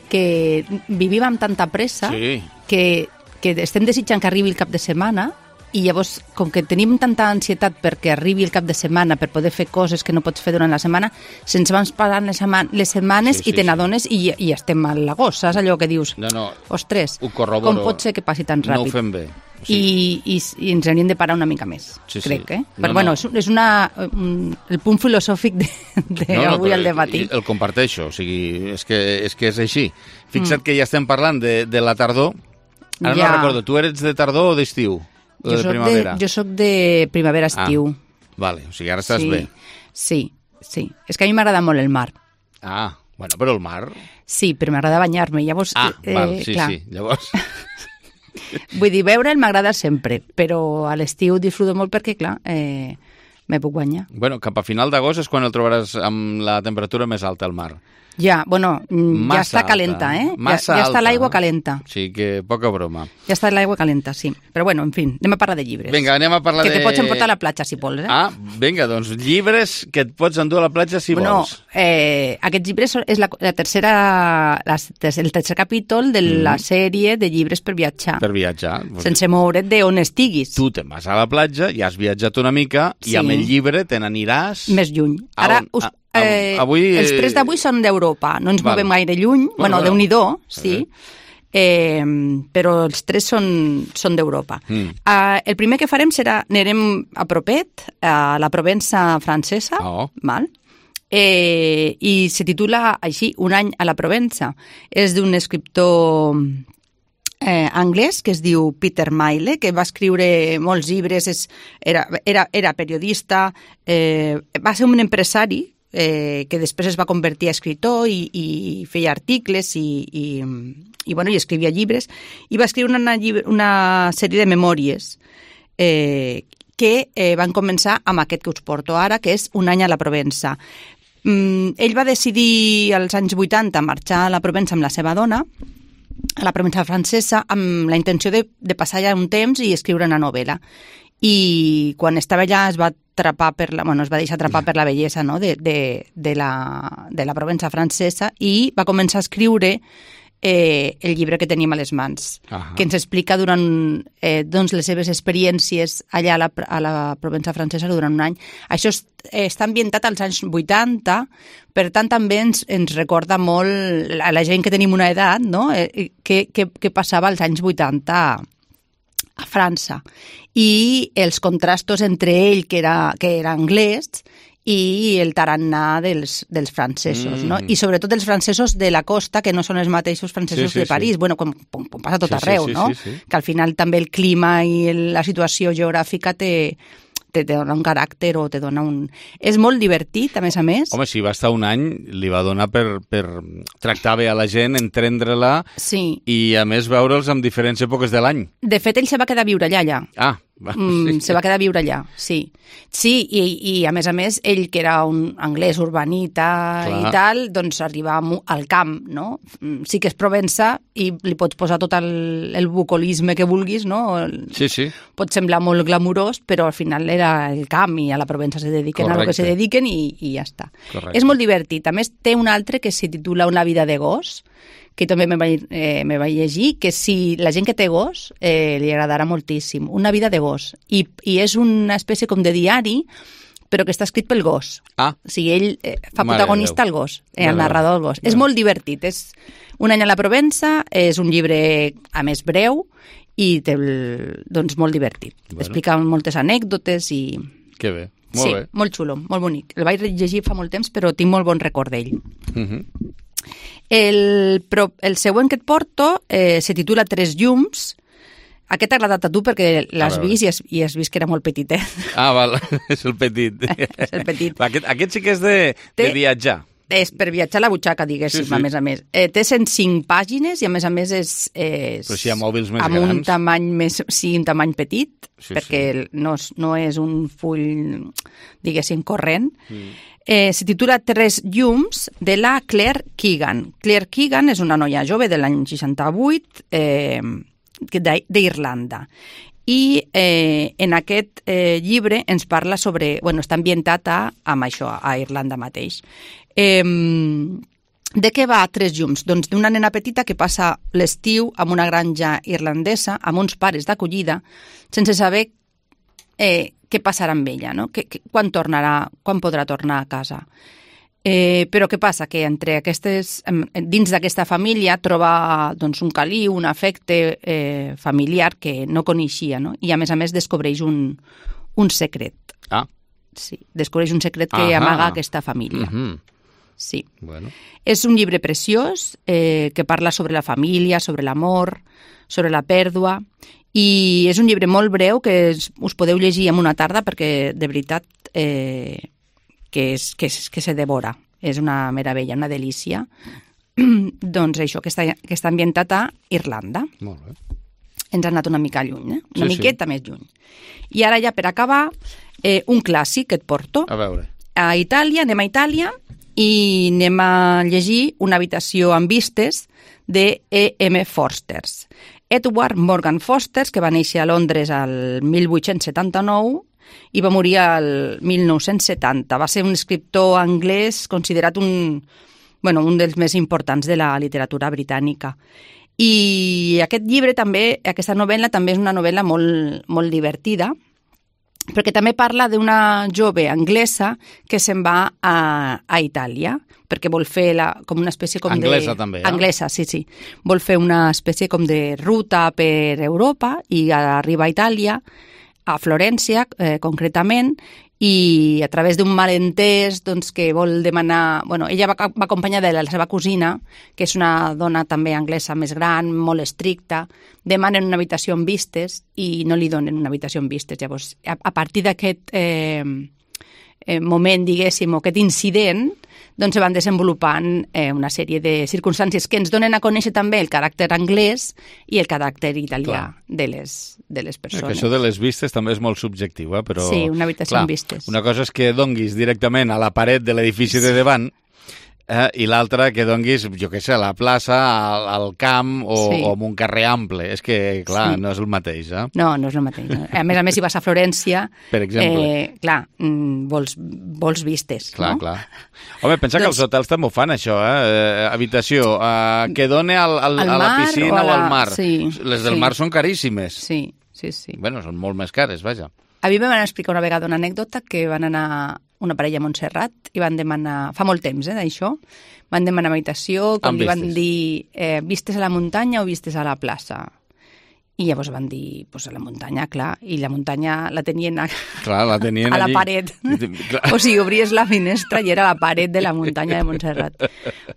que vivim amb tanta pressa sí. que, que estem desitjant que arribi el cap de setmana i llavors, com que tenim tanta ansietat perquè arribi el cap de setmana per poder fer coses que no pots fer durant la setmana, se'ns van parant les, les setmanes sí, sí, i te n'adones sí. i, i estem a l'agost, saps allò que dius? No, no, ostres, com pot ser que passi tan ràpid? No ho fem bé. Sí. I, i, I ens hauríem de parar una mica més, sí, crec, sí. eh? Però no, bueno, no. és una, un, el punt filosòfic d'avui de, de no, no, al dematí. El comparteixo, o sigui, és que és, que és així. Fixa't mm. que ja estem parlant de, de la tardor. Ara ja. no recordo, tu eres de tardor o d'estiu? Jo soc de, jo soc de primavera-estiu. Ah, vale, o sigui, ara estàs sí, bé. Sí, sí. És que a mi m'agrada molt el mar. Ah, bueno, però el mar... Sí, però m'agrada banyar-me, llavors... Ah, eh, val, sí, clar. sí, llavors... Vull dir, veure'l m'agrada sempre, però a l'estiu disfruto molt perquè, clar, eh, me puc banyar. Bueno, cap a final d'agost és quan el trobaràs amb la temperatura més alta al mar. Ja, bueno, Massa ja està calenta, eh? Massa ja, ja està alta. l'aigua calenta. Sí, que poca broma. Ja està l'aigua calenta, sí. Però bueno, en fi, anem a parlar de llibres. Vinga, anem a parlar que de... Que te pots emportar a la platja, si vols, eh? Ah, vinga, doncs llibres que et pots endur a la platja si bueno, vols. Eh, aquests llibres és la, la tercera, la, el tercer capítol de mm. la sèrie de llibres per viatjar. Per viatjar. Sense moure't d'on estiguis. Tu te'n vas a la platja, ja has viatjat una mica sí. i amb el llibre te n'aniràs... Més lluny. Ara us... A... Eh, avui... Els tres d'avui són d'Europa, no ens Val. movem gaire lluny, bueno, bueno Déu-n'hi-do, sí, eh, però els tres són, són d'Europa. Mm. Uh, el primer que farem serà, anirem a propet, a la Provença francesa, oh. val? Eh, i se titula així, Un any a la Provença. És d'un escriptor eh, anglès que es diu Peter Mayle, que va escriure molts llibres, és, era, era, era periodista, eh, va ser un empresari, Eh, que després es va convertir a escriptor i, i feia articles i, i, i, bueno, i escrivia llibres i va escriure una, una sèrie de memòries eh, que eh, van començar amb aquest que us porto ara, que és Un any a la Provença. Mm, ell va decidir als anys vuitanta marxar a la Provença amb la seva dona, a la Provença francesa, amb la intenció de, de passar allà un temps i escriure una novel·la. I quan estava allà es va atrapar per la, bueno, es va deixar atrapar per la bellesa, no? de, de, de, la, de la Provença francesa i va començar a escriure eh, el llibre que tenim a les mans, uh-huh. que ens explica durant eh, doncs les seves experiències allà a la, a la Provença francesa durant un any. Això és, eh, està ambientat als anys vuitanta, per tant també ens, ens recorda molt a la gent que tenim una edat, no? eh, que, que, que passava als anys vuitanta a França, i els contrastos entre ell, que era, que era anglès, i el tarannà dels, dels francesos, mm. no? I sobretot els francesos de la costa, que no són els mateixos francesos sí, sí, de París, sí. bueno, com, com, com passa tot sí, arreu, sí, sí, no? Sí, sí. Que al final també el clima i el, la situació geogràfica té... te dona un caràcter o te dona un... És molt divertit, a més a més. Home, si va estar un any, li va donar per, per tractar bé a la gent, entendre-la sí. i, a més, veure'ls en diferents èpoques de l'any. De fet, ell se va quedar a viure allà, allà. Ah, va, mm, sí. Se va quedar a viure allà, sí. Sí, i, i a més a més, ell, que era un anglès urbanita Clar. i tal, doncs arriba al camp, no? Sí que és Provença i li pots posar tot el, el bucolisme que vulguis, no? Sí, sí. Pot semblar molt glamurós, però al final era el camp i a la Provença se dediquen Correcte. a lo que se dediquen i, i ja està. Correcte. És molt divertit. A més, té un altre que se titula Una vida de gos, que també me vaig, eh, me vaig llegir, que si la gent que té gos eh, li agradarà moltíssim. Una vida de gos. I, i és una espècie com de diari, però que està escrit pel gos. Ah. O sigui, ell eh, fa Mare protagonista al gos, eh, el narrador del gos. Mare. És molt divertit. És Un any a la Provença, és un llibre, a més, breu, i té, doncs, molt divertit. Bueno. Explica moltes anècdotes i... Que bé, molt sí, bé. Sí, molt xulo, molt bonic. El vaig llegir fa molt temps, però tinc molt bon record d'ell. Uh-huh. El, el següent que et porto eh, se titula Tres llums, Aquest t'ha agradat a tu perquè l'has vist i has, i has vist que era molt petitet. Ah, val, és el petit. És el petit. Aquest, aquest sí que és de, de viatjar. És per viatjar a la butxaca, diguéssim, sí, sí. a més a més. Eh, té cent cinc pàgines i, a més a més, és... és Però si hi ha mòbils més amb grans. un tamany més... Sí, un tamany petit, sí, perquè sí. No, no és un full, diguéssim, corrent. Mm. Eh, se titula Tres llums, de la Claire Keegan. Claire Keegan és una noia jove de l'any seixanta-vuit, eh, d'Irlanda. I eh, en aquest eh, llibre ens parla sobre... Bueno, està ambientat a, amb això, a Irlanda mateix. Eh, de què va Tres llums? Doncs d'una nena petita que passa l'estiu en una granja irlandesa amb uns pares d'acollida sense saber eh, què passarà amb ella, no? Que, que, quan tornarà, quan podrà tornar a casa. Eh, però què passa? Que entre aquestes, dins d'aquesta família troba doncs, un caliu, un afecte eh, familiar que no coneixia, no? I a més a més descobreix un, un secret. Ah. Sí, descobreix un secret que Ahà. amaga aquesta família. Uh-huh. Sí. Bueno. És un llibre preciós eh, que parla sobre la família, sobre l'amor, sobre la pèrdua, i és un llibre molt breu que es, us podeu llegir en una tarda perquè, de veritat, eh, que, és, que, és, que se devora. És una meravella, una delícia. Doncs això, que està, que està ambientat a Irlanda. Molt bé. Ens ha anat una mica lluny, eh? Una sí, miqueta sí. més lluny. I ara ja per acabar, eh, un clàssic que et porto. A veure. A Itàlia, anem a Itàlia i anem a llegir Una habitació amb vistes de E M Forsters. Edward Morgan Forsters, que va néixer a Londres al mil vuit-cents setanta-nou i va morir al mil nou-cents setanta. Va ser un escriptor anglès considerat un, bueno, un dels més importants de la literatura britànica. I aquest llibre també, aquesta novel·la també és una novel·la molt, molt divertida, perquè també parla d'una jove anglesa que se'n va a, a Itàlia, perquè vol fer la, com una espècie com anglesa, de... també, eh? Anglesa, sí, sí. Vol fer una espècie com de ruta per Europa i arriba a Itàlia, a Florència, eh, concretament, i a través d'un malentès doncs, que vol demanar... Bueno, ella va, va acompanyada de la seva cosina, que és una dona també anglesa més gran, molt estricta, demanen una habitació amb vistes i no li donen una habitació amb vistes. Llavors, a, a partir d'aquest eh, eh, moment, diguéssim, o aquest incident, doncs se van desenvolupant eh, una sèrie de circumstàncies que ens donen a conèixer també el caràcter anglès i el caràcter italià de les, de les persones. Que això de les vistes també és molt subjectiu, eh? Però, sí, una habitació clar, amb vistes. Una cosa és que donguis directament a la paret de l'edifici de davant, eh? i l'altra que donguis, jo què sé, a la plaça, al, al camp o, sí. o en un carrer ample. És que, clar, sí. no és el mateix, eh? No, no és el mateix. No. A més a més, si vas a Florència, per exemple, eh, clar, vols, vols vistes, clar, no? Clar. Home, pensa doncs... que els hotels també ho fan, això, eh? Habitació, eh, que done al, al, al a la piscina o, la... o al mar. Sí, Les del sí. mar són caríssimes. Sí, sí, sí. Bueno, són molt més cares, vaja. A mi em van explicar una vegada una anècdota que van anar una parella a Montserrat i van demanar, fa molt temps, eh, d'això, van demanar habitació, quan li van dir eh, vistes a la muntanya o vistes a la plaça. I llavors van dir, pues a la muntanya, clar, i la muntanya la tenien a, clar, la tenien a la allí. paret. O sigui, obries la finestra i era la paret de la muntanya de Montserrat.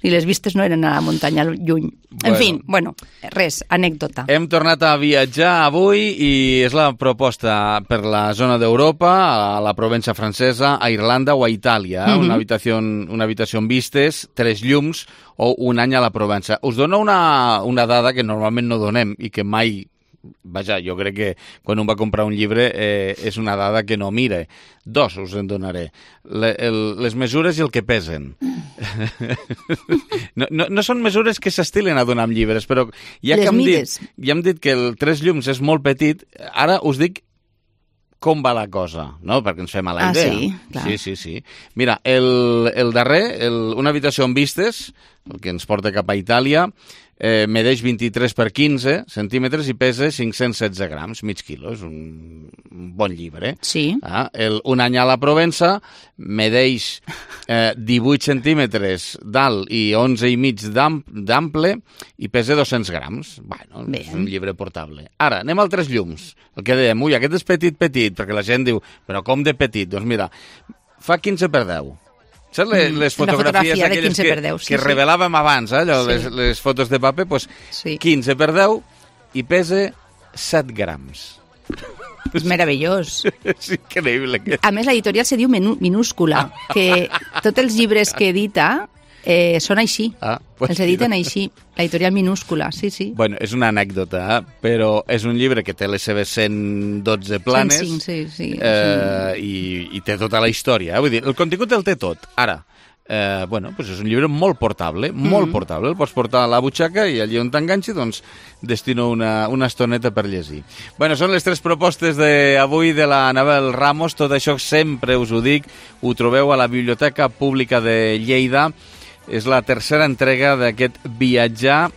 I les vistes no eren a la muntanya lluny. Bueno. En fi, bueno, res, anècdota. Hem tornat a viatjar avui i és la proposta per la zona d'Europa, a la Provença francesa, a Irlanda o a Itàlia. Eh? Mm-hmm. Una habitació, una habitació amb vistes, tres llums o un any a la Provença. Us dono una, una dada que normalment no donem i que mai... Vaja, jo crec que quan un va comprar un llibre eh, és una dada que no mire. Dos us en donaré. Le, el, les mesures i el que pesen. no, no, no són mesures que s'estilen a donar amb llibres, però ja les que hem mides. dit, ja hem dit que el tres llums és molt petit, ara us dic com va la cosa, no? Perquè ens fem a la ah, idea. Sí, clar. sí, sí, sí. Mira, el, el darrer, el, una habitació amb vistes, el que ens porta cap a Itàlia, eh, medeix vint-i-tres per quinze centímetres i pesa cinc-cents setze grams, mig quilo. És un, un bon llibre. Sí. Ah, el, un any a la Provença medeix eh, divuit centímetres d'alt i onze i mig d'ample i pesa dos-cents grams. Bueno, Bé. És un llibre portable. Ara, anem al tres llums. El que dèiem, ui, aquest és petit, petit, perquè la gent diu, però com de petit? Doncs mira, fa quinze per deu. Saps les, les fotografies fotografia aquelles que, deu, sí, que sí. revelàvem abans, eh, allò, sí. les, les fotos de paper, doncs sí. quinze per deu i pesa set grams. És meravellós. És increïble. Que... A més, l'editorial se diu menú, minúscula, que tots els llibres que edita eh, són així. Ah, pues els editen sí. així. L'editorial minúscula, sí, sí. Bueno, és una anècdota, eh? Però és un llibre que té les seves cent dotze planes cent cinc, sí, sí, eh, sí. I, i té tota la història. Eh? Vull dir, el contingut el té tot. Ara, eh, bueno, pues és un llibre molt portable, molt mm. portable. El pots portar a la butxaca i allí on t'enganxi, doncs, destino una, una estoneta per llegir. Bueno, són les tres propostes d'avui de la Anabel Ramos. Tot això sempre us ho dic, ho trobeu a la Biblioteca Pública de Lleida. És la tercera entrega d'aquest viatjar,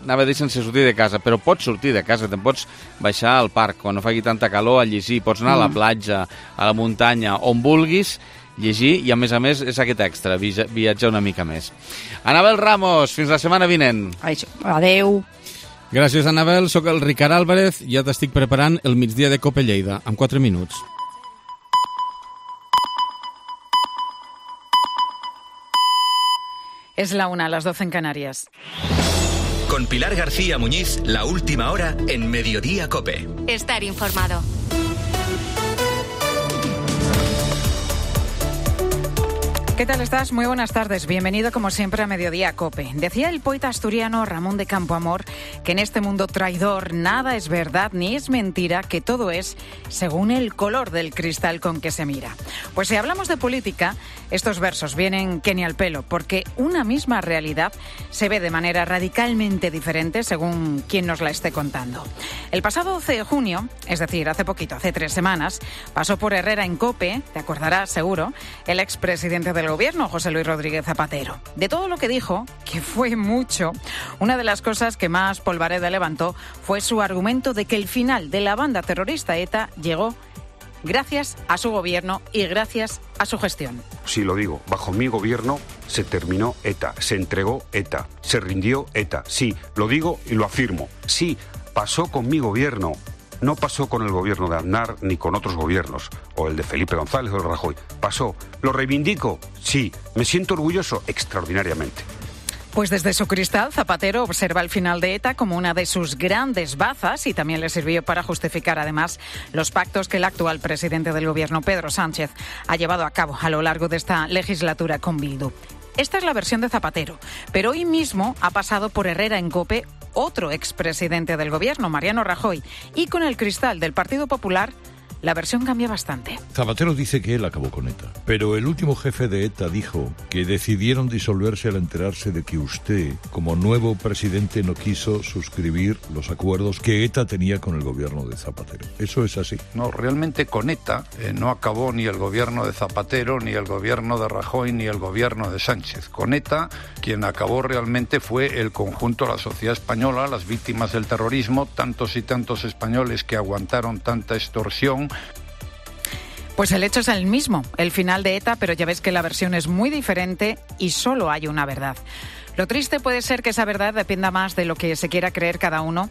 anava a dir sense sortir de casa, però pots sortir de casa, te'n pots baixar al parc quan no faci tanta calor a llegir, pots anar mm. a la platja, a la muntanya, on vulguis, llegir, i a més a més és aquest extra, viatjar una mica més. Anabel Ramos, fins la setmana vinent. Adeu. Gràcies, Anabel. Soc el Ricard Álvarez, ja t'estic preparant el migdia de Cope Lleida, en quatre minuts. Es la una, a las doce en Canarias. Con Pilar García Muñiz, la última hora en Mediodía Cope. Estar informado. ¿Qué tal estás? Muy buenas tardes. Bienvenido como siempre a Mediodía Cope. Decía el poeta asturiano Ramón de Campoamor que en este mundo traidor nada es verdad ni es mentira, que todo es según el color del cristal con que se mira. Pues si hablamos de política, estos versos vienen que ni al pelo, porque una misma realidad se ve de manera radicalmente diferente según quien nos la esté contando. El pasado doce de junio, es decir, hace poquito, hace tres semanas, pasó por Herrera en Cope, te acordarás seguro, el expresidente del Gobierno, José Luis Rodríguez Zapatero. De todo lo que dijo, que fue mucho, una de las cosas que más polvareda levantó fue su argumento de que el final de la banda terrorista ETA llegó gracias a su gobierno y gracias a su gestión. Sí, lo digo, bajo mi gobierno se terminó ETA, se entregó ETA, se rindió ETA. Sí, lo digo y lo afirmo. Sí, pasó con mi gobierno. No pasó con el gobierno de Aznar ni con otros gobiernos, o el de Felipe González o el Rajoy. Pasó. ¿Lo reivindico? Sí. ¿Me siento orgulloso? Extraordinariamente. Pues desde su cristal, Zapatero observa el final de ETA como una de sus grandes bazas y también le sirvió para justificar además los pactos que el actual presidente del gobierno, Pedro Sánchez, ha llevado a cabo a lo largo de esta legislatura con Bildu. Esta es la versión de Zapatero, pero hoy mismo ha pasado por Herrera en Cope otro expresidente del gobierno, Mariano Rajoy, y con el cristal del Partido Popular la versión cambia bastante. Zapatero dice que él acabó con ETA, pero el último jefe de ETA dijo que decidieron disolverse al enterarse de que usted, como nuevo presidente, no quiso suscribir los acuerdos que ETA tenía con el gobierno de Zapatero. ¿Eso es así? No, realmente con ETA eh, no acabó ni el gobierno de Zapatero, ni el gobierno de Rajoy, ni el gobierno de Sánchez. Con ETA, quien acabó realmente fue el conjunto de la sociedad española, las víctimas del terrorismo, tantos y tantos españoles que aguantaron tanta extorsión. Pues el hecho es el mismo, el final de ETA, pero ya ves que la versión es muy diferente y solo hay una verdad. Lo triste puede ser que esa verdad dependa más de lo que se quiera creer cada uno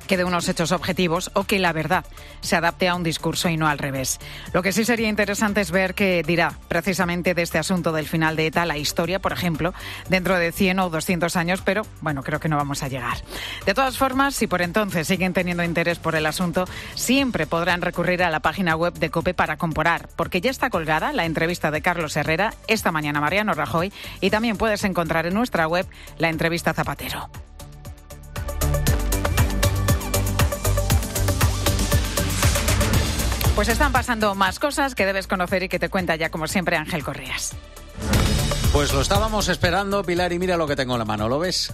que de unos hechos objetivos, o que la verdad se adapte a un discurso y no al revés. Lo que sí sería interesante es ver qué dirá precisamente de este asunto del final de ETA la historia, por ejemplo, dentro de cien o doscientos años, pero bueno, creo que no vamos a llegar. De todas formas, si por entonces siguen teniendo interés por el asunto, siempre podrán recurrir a la página web de COPE para comparar, porque ya está colgada la entrevista de Carlos Herrera esta mañana a Mariano Rajoy, y también puedes encontrar en nuestra web la entrevista a Zapatero. Pues están pasando más cosas que debes conocer y que te cuenta ya, como siempre, Ángel Correas. Pues lo estábamos esperando, Pilar, y mira lo que tengo en la mano, ¿lo ves?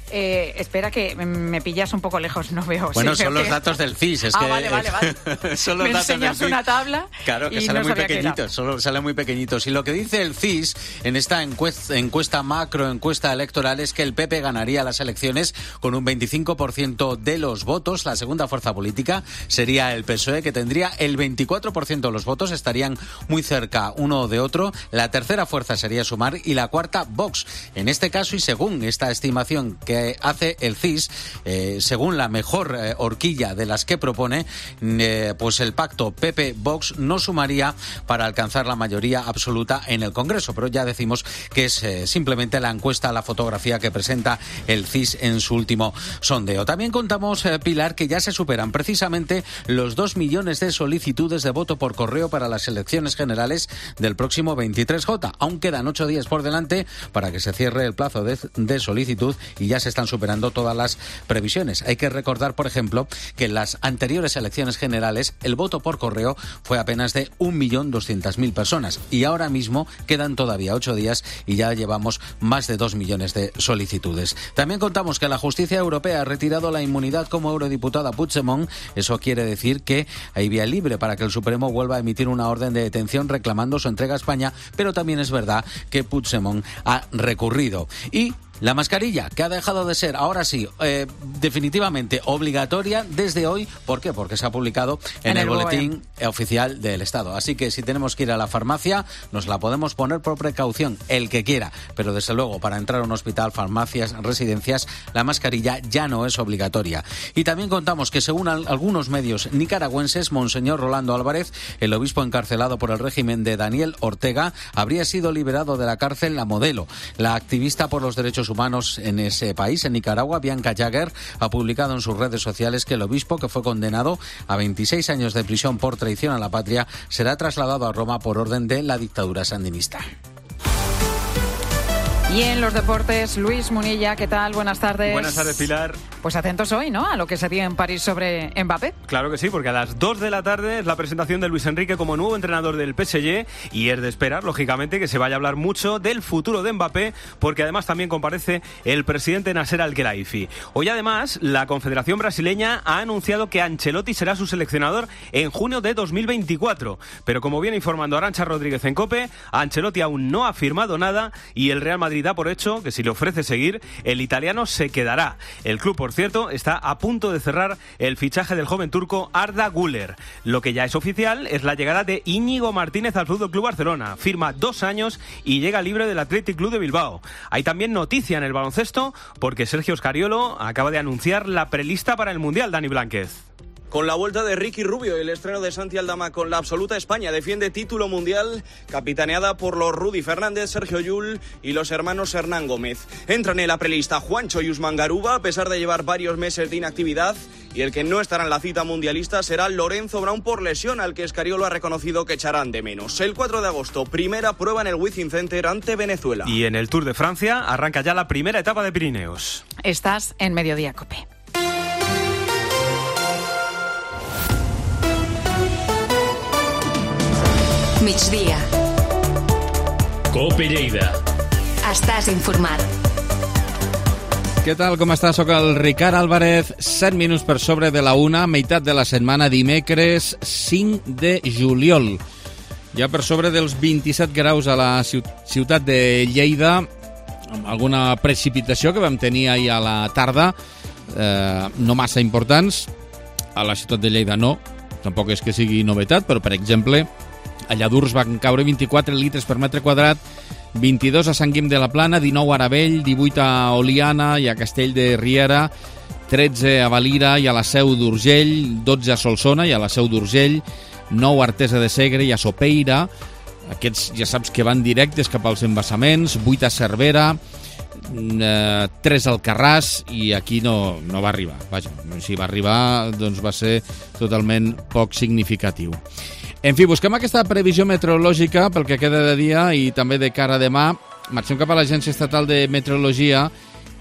Eh, espera que me pillas un poco lejos, no veo. Bueno, sí, son los que... datos del C I S. Es ah, que, vale, vale, vale. Son los me datos enseñas del una tabla. Claro, que y salen no muy pequeñitos, solo salen muy pequeñitos. Y lo que dice el C I S en esta encuesta, encuesta macro, encuesta electoral, es que el P P ganaría las elecciones con un veinticinco por ciento de los votos. La segunda fuerza política sería el P S O E, que tendría el veinticuatro por ciento de los votos, estarían muy cerca uno de otro. La tercera fuerza sería Sumar y la cuarta Vox. En este caso, y según esta estimación que que hace el C I S, eh, según la mejor eh, horquilla de las que propone, eh, pues el pacto P P-Vox no sumaría para alcanzar la mayoría absoluta en el Congreso, pero ya decimos que es eh, simplemente la encuesta, la fotografía que presenta el C I S en su último sondeo. También contamos, eh, Pilar, que ya se superan precisamente los dos millones de solicitudes de voto por correo para las elecciones generales del próximo veintitrés J. Aún quedan ocho días por delante para que se cierre el plazo de, de solicitud y ya se están superando todas las previsiones. Hay que recordar, por ejemplo, que en las anteriores elecciones generales el voto por correo fue apenas de un millón doscientas mil personas y ahora mismo quedan todavía ocho días y ya llevamos más de dos millones de solicitudes. También contamos que la justicia europea ha retirado la inmunidad como eurodiputada Puigdemont. Eso quiere decir que hay vía libre para que el Supremo vuelva a emitir una orden de detención reclamando su entrega a España, pero también es verdad que Puigdemont ha recurrido. Y la mascarilla, que ha dejado de ser, ahora sí, eh, definitivamente obligatoria desde hoy. ¿Por qué? Porque se ha publicado en, en el, el boletín oficial del Estado. Así que si tenemos que ir a la farmacia, nos la podemos poner por precaución, el que quiera. Pero desde luego, para entrar a un hospital, farmacias, residencias, la mascarilla ya no es obligatoria. Y también contamos que, según al- algunos medios nicaragüenses, Monseñor Rolando Álvarez, el obispo encarcelado por el régimen de Daniel Ortega, habría sido liberado de la cárcel La Modelo. La activista por los derechos humanos en ese país, en Nicaragua, Bianca Jagger, ha publicado en sus redes sociales que el obispo, que fue condenado a veintiséis años de prisión por traición a la patria, será trasladado a Roma por orden de la dictadura sandinista. Y en los deportes, Luis Munilla, ¿qué tal? Buenas tardes. Buenas tardes, Pilar. Pues atentos hoy, ¿no?, a lo que se dio en París sobre Mbappé. Claro que sí, porque a las dos de la tarde es la presentación de Luis Enrique como nuevo entrenador del P S G y es de esperar, lógicamente, que se vaya a hablar mucho del futuro de Mbappé, porque además también comparece el presidente Nasser Al-Khelaifi. Hoy, además, la Confederación Brasileña ha anunciado que Ancelotti será su seleccionador en junio de dos mil veinticuatro. Pero como viene informando Arantxa Rodríguez en COPE, Ancelotti aún no ha firmado nada y el Real Madrid da por hecho que si le ofrece seguir, el italiano se quedará. El club, por cierto, está a punto de cerrar el fichaje del joven turco Arda Güler. Lo que ya es oficial es la llegada de Íñigo Martínez al F C Barcelona. Firma dos años y llega libre del Athletic Club de Bilbao. Hay también noticia en el baloncesto porque Sergio Scariolo acaba de anunciar la prelista para el Mundial. Dani Blánquez. Con la vuelta de Ricky Rubio y el estreno de Santi Aldama con la absoluta España, defiende título mundial capitaneada por los Rudy Fernández, Sergio Llull y los hermanos Hernán Gómez. Entran en la prelista Juancho y Usman Garuba, a pesar de llevar varios meses de inactividad, y el que no estará en la cita mundialista será Lorenzo Brown por lesión, al que Scariolo ha reconocido que echarán de menos. El cuatro de agosto, primera prueba en el Wizzing Center ante Venezuela. Y en el Tour de Francia arranca ya la primera etapa de Pirineos. Estás en Mediodía COPE. Migdia. COPE Lleida. Estàs informat. Què tal, com està? Soc el Ricard Álvarez, set minuts per sobre de la una, meitat de la setmana, dimecres cinc de juliol. Ja per sobre dels vint-i-set graus a la ciutat de Lleida, amb alguna precipitació que vam tenir ahir a la tarda, eh, no massa importants. A la ciutat de Lleida no, tampoc és que sigui novetat, però per exemple, a Lladurs van caure vint-i-quatre litres per metre quadrat, vint-i-dos a Sant Guim de la Plana, dinou a Aravell, divuit a Oliana i a Castell de Riera, tretze a Valira i a la Seu d'Urgell, dotze a Solsona i a la Seu d'Urgell, nou a Artesa de Segre i a Sopeira. Aquests ja saps que van directes cap als embassaments, vuit a Cervera, eh, tres al Carràs i aquí no, no va arribar. Vaja, si va arribar doncs va ser totalment poc significatiu. En fi, busquem aquesta previsió meteorològica pel que queda de dia i també de cara a demà. Marxem cap a l'Agència Estatal de Meteorologia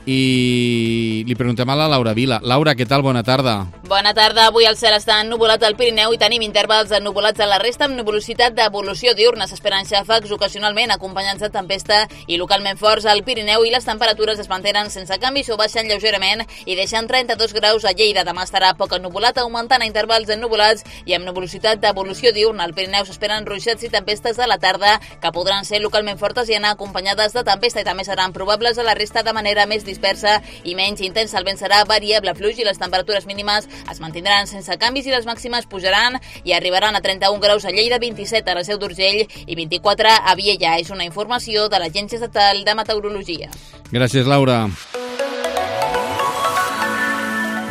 i li preguntem a la Laura Vila. Laura, què tal? Bona tarda. Bona tarda. Avui el cel està ennuvolat al Pirineu i tenim intervals ennubulats a la resta amb nuvolositat d'evolució diurna. S'esperen xàfecs ocasionalment acompanyats de tempesta i localment forts al Pirineu i les temperatures es mantenen sense canvis o baixen lleugerament i deixen trenta-dos graus a Lleida. Demà estarà poc ennuvolat, augmentant a intervals ennubulats i amb nuvolositat d'evolució diurna. Al Pirineu s'esperen ruixats i tempestes a la tarda que podran ser localment fortes i anar acompanyades de tempesta i també seran probables a la resta de manera més dispersa i menys intensa. El vent serà variable fluix i les temperatures mínimes es mantindran sense canvis i les màximes pujaran i arribaran a trenta-un graus a Lleida, vint-i-set a la Seu d'Urgell i vint-i-quatre a Viella. És una informació de l'Agència Estatal de Meteorologia. Gràcies, Laura.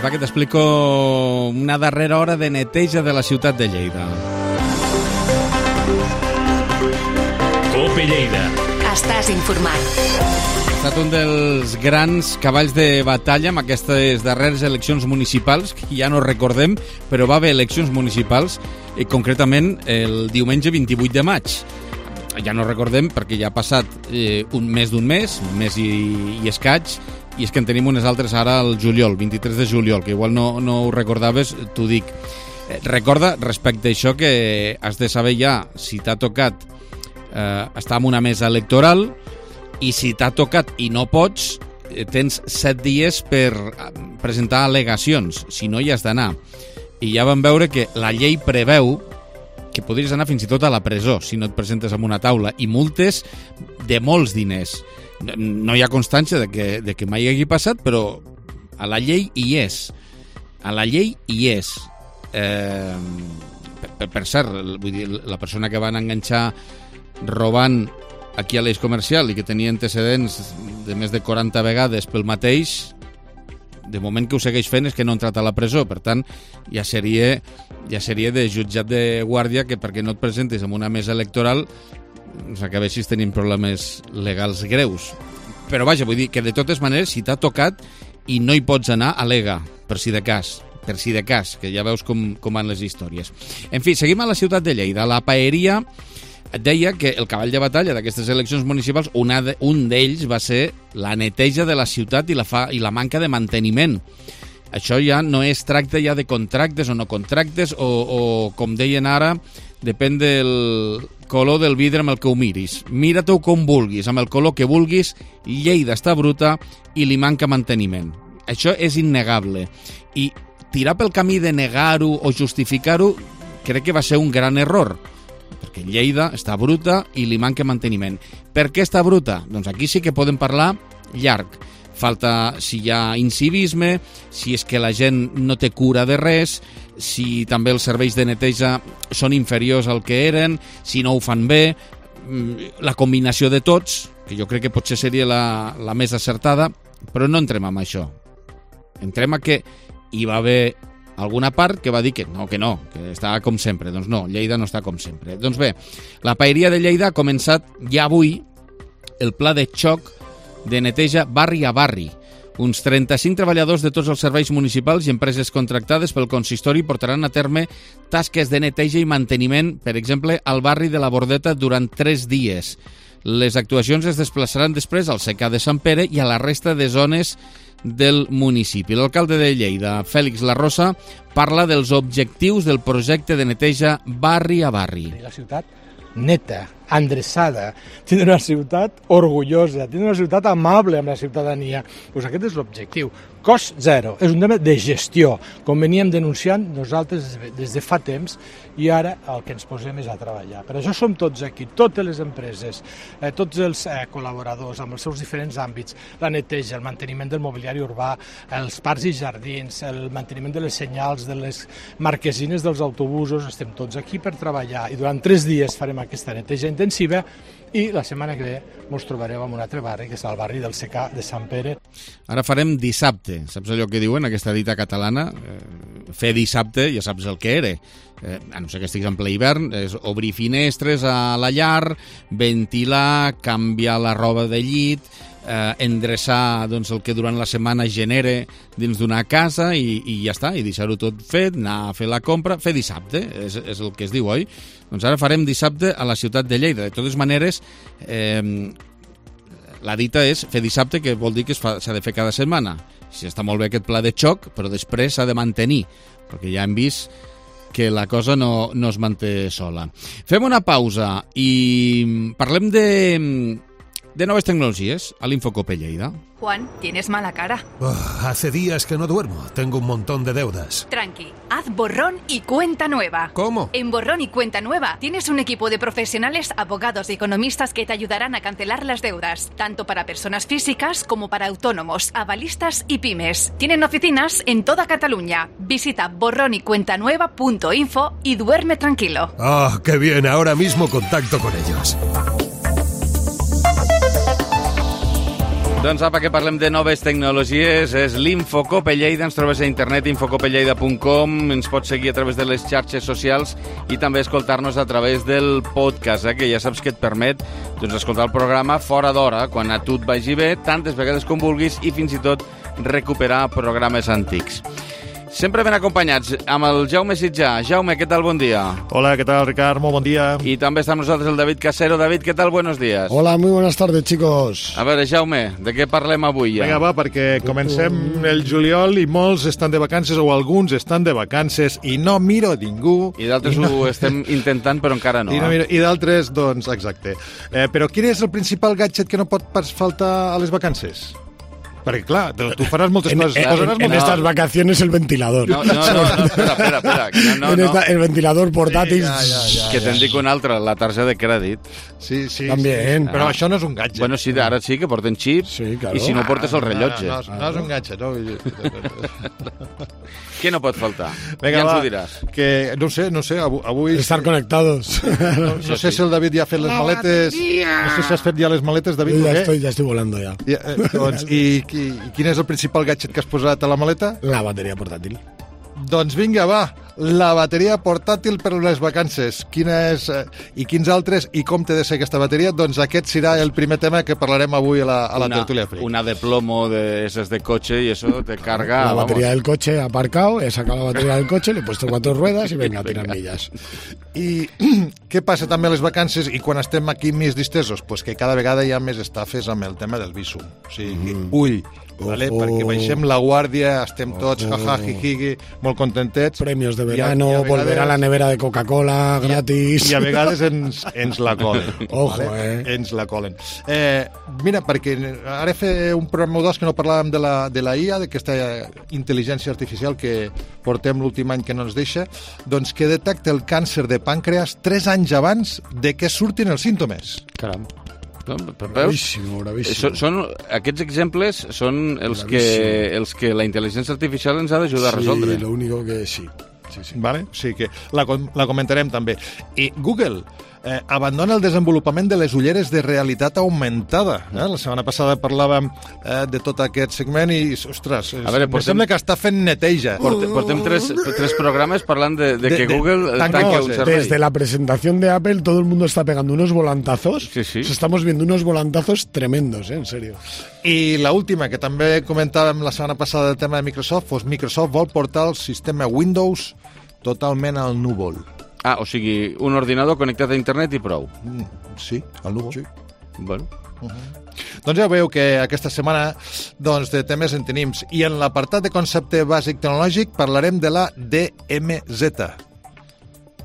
Va, que t'explico una darrera hora de neteja de la ciutat de Lleida. Cope Lleida. Estàs informat. Ha estat un dels grans cavalls de batalla amb aquestes darreres eleccions municipals, que ja no recordem, però va haver eleccions municipals, i concretament el diumenge vint-i-vuit de maig. Ja no recordem perquè ja ha passat eh, un mes d'un mes, un mes i, i escaig, i és que en tenim unes altres ara al juliol, vint-i-tres de juliol, que igual no, no ho recordaves, t'ho dic. Eh, recorda, respecte a això, que has de saber ja si t'ha tocat eh, estar en una mesa electoral, i si t'ha tocat i no pots, eh, tens set dies per presentar al·legacions, si no hi has d'anar. I ja vam veure que la llei preveu que podries anar fins i tot a la presó si no et presentes en una taula, i multes de molts diners. No hi ha constància de que, de que mai hagi passat, però a la llei hi és. A la llei hi és. Eh, per, per cert, vull dir, la persona que van enganxar robant aquí a l'Eix Comercial i que tenia antecedents de més de quaranta vegades pel mateix, de moment que ho segueix fent és que no ha entrat a la presó. Per tant, ja seria, ja seria de jutjat de guàrdia que perquè no et presentis en una mesa electoral s'acabessis tenint problemes legals greus. Però vaja, vull dir que de totes maneres, si t'ha tocat i no hi pots anar, al·lega, per si de cas, per si de cas, que ja veus com, com van les històries. En fi, seguim a la ciutat de Lleida. La paeria deia que el cavall de batalla d'aquestes eleccions municipals, una de, un d'ells va ser la neteja de la ciutat i la, fa, i la manca de manteniment. Això ja no es tracta ja de contractes o no contractes, o, o com deien ara, depèn del color del vidre amb el que ho miris. Mira-t'ho com vulguis, amb el color que vulguis, Lleida està bruta i li manca manteniment. Això és innegable. I tirar pel camí de negar-ho o justificar-ho crec que va ser un gran error, perquè Lleida està bruta i li manca manteniment. Per què està bruta? Doncs aquí sí que podem parlar llarg. Falta si hi ha incivisme, si és que la gent no té cura de res, si també els serveis de neteja són inferiors al que eren, si no ho fan bé, la combinació de tots, que jo crec que potser seria la, la més acertada, però no entrem en això. Entrem a que hi va haver alguna part que va dir que no, que no, que estava com sempre. Doncs no, Lleida no està com sempre. Doncs bé, la paeria de Lleida ha començat ja avui el pla de xoc de neteja barri a barri. Uns trenta-cinc treballadors de tots els serveis municipals i empreses contractades pel consistori portaran a terme tasques de neteja i manteniment, per exemple, al barri de la Bordeta durant tres dies. Les actuacions es desplaçaran després al secà de Sant Pere i a la resta de zones del municipi. L'alcalde de Lleida, Fèlix Larrosa, parla dels objectius del projecte de neteja barri a barri. La ciutat neta, endreçada, tindre una ciutat orgullosa, tindre una ciutat amable amb la ciutadania. Pues aquest és l'objectiu. Cost zero. És un tema de gestió, com veníem denunciant nosaltres des de fa temps, i ara el que ens posem és a treballar. Per això som tots aquí, totes les empreses, eh, tots els eh, col·laboradors amb els seus diferents àmbits, la neteja, el manteniment del mobiliari urbà, els parcs i jardins, el manteniment de les senyals, de les marquesines dels autobusos, estem tots aquí per treballar, i durant tres dies farem aquesta neteja intensiva, i la setmana que ve ens trobareu en un altre barri, que és el barri del secà de Sant Pere. Ara farem dissabte, saps allò que diuen, aquesta dita catalana? Eh, fer dissabte, ja saps el que era. Eh, a no ser que estiguis en ple hivern, és obrir finestres a la llar, ventilar, canviar la roba de llit, eh, endreçar doncs, el que durant la setmana genere dins d'una casa i, i ja està, i deixar-ho tot fet, anar a fer la compra, fer dissabte, és, és el que es diu, oi? Doncs ara farem dissabte a la ciutat de Lleida. De totes maneres, eh, la dita és fer dissabte, que vol dir que s'ha de fer cada setmana. Sí, està molt bé aquest pla de xoc, però després s'ha de mantenir, perquè ja hem vist que la cosa no, no es manté sola. Fem una pausa i parlem de, de noves tecnologies a l'Infocope Lleida. Juan, tienes mala cara. Oh, hace días que no duermo. Tengo un montón de deudas. Tranqui, haz borrón y cuenta nueva. ¿Cómo? En Borrón y Cuenta Nueva tienes un equipo de profesionales, abogados y economistas que te ayudarán a cancelar las deudas, tanto para personas físicas como para autónomos, avalistas y pymes. Tienen oficinas en toda Cataluña. Visita borrón y cuenta nueva punto info y duerme tranquilo. ¡Ah, oh, qué bien! Ahora mismo contacto con ellos. Doncs apa, que parlem de noves tecnologies. És l'Infocope Lleida. Ens trobes a internet, infocopelleida punt com. Ens pots seguir a través de les xarxes socials i també escoltar-nos a través del podcast, eh, que ja saps que et permet doncs, escoltar el programa fora d'hora, quan a tu et vagi bé, tantes vegades com vulguis, i fins i tot recuperar programes antics. Sempre ben acompanyats amb el Jaume Sitjà. Jaume, què tal? Bon dia. Hola, ¿qué tal, Ricard? Muy buen día. Y también está con nosotros el David Casero. David, ¿qué tal? Buenos días. Hola, muy buenas tardes, chicos. A veure, Jaume, de què parlem avui ja? Vinga, va, perquè comencem el juliol i molts estan de vacances o alguns estan de vacances i no miro ningú. I d'altres no... ho estem intentant, però encara no. I, no miro, i d'altres, doncs, exacte. Eh, però quin és el principal gadget que no pot faltar a les vacances? Perquè, clar, tu faràs moltes en, coses. En, en, en moltes... estas vacaciones el ventilador. No, no, no, no espera, espera. espera. No, no, en esta, no. El ventilador portátil. Sí, ja, ja, ja, que te'n dic un altre, la targeta de crèdit. Sí, sí. També. Sí, però ah. això no és un gadget. Bueno, sí, ara sí, que porten xip, sí, claro. I si no portes el rellotge. No, no, no, no és un gadget, no? Què no pot faltar? Venga, ja ens va, ho diràs. Que, no sé, no sé, avui... Estar conectados. No, no sé si el David ja ha fet les maletes... No sé si has fet ja les maletes, David. Ja estoy, ja estic volando, ja. ja eh, doncs, i, i, I quin és el principal gadget que has posat a la maleta? La bateria portàtil. Doncs vinga, va, la bateria portàtil per les vacances. Quina és, eh, i quins altres, i com té de ser aquesta bateria? Doncs aquest serà el primer tema que parlarem avui a la, a la una, tertulia Freak. Una de plomo de esas de coche y eso te carga... La batería vamos. del coche aparcado, he sacado la batería del coche, le he puesto cuatro ruedas y venga, tirar millas. I què passa també a les vacances i quan estem aquí més distesos? Pues que cada vegada hi ha més estafes amb el tema del visum. O sigui, mm. ull, vale? Ojo. Perquè baixem la guàrdia, estem tots jaja, jijigui, molt contentets. Premios de verano, i a, i a vegades, volver a la nevera de Coca-Cola gratis. I a vegades ens, ens la colen. Ojo, vale? eh? Ens la colen. Eh, mira, perquè ara fer un programa o dos que no parlàvem de la, de la I A, d'aquesta intel·ligència artificial que portem l'últim any que no ens deixa, doncs que detecta el càncer de pàncreas tres anys abans de que surtin els símptomes. Caram. No, bravíssimo, bravíssimo. Són, són, aquests exemples són els que, els que la intel·ligència artificial ens ha d'ajudar sí, a resoldre. Sí, lo único que sí. Sí, sí. Vale? Sí, que la, la comentarem també. I Google eh, abandona el desenvolupament de les ulleres de realitat augmentada. Eh? La setmana passada parlàvem eh, de tot aquest segment i, ostres, a veure, portem, sembla que està fent neteja. Portem, portem tres, tres programes parlant de, de, de que Google de, tanque no, un servei. Desde la presentación de Apple todo el mundo está pegando unos volantazos. Sí, sí. Estamos viendo unos volantazos tremendos, ¿eh? En serio. I la última, que també comentàvem la setmana passada del tema de Microsoft, doncs Microsoft vol portar el sistema Windows totalment al núvol. Ah, o sigui, un ordinador connectat a internet i prou. Mm, sí, al núvol. Sí. Bueno. Uh-huh. Doncs ja veieu que aquesta setmana doncs, de temes en tenim. I en l'apartat de concepte bàsic tecnològic parlarem de la D M Z.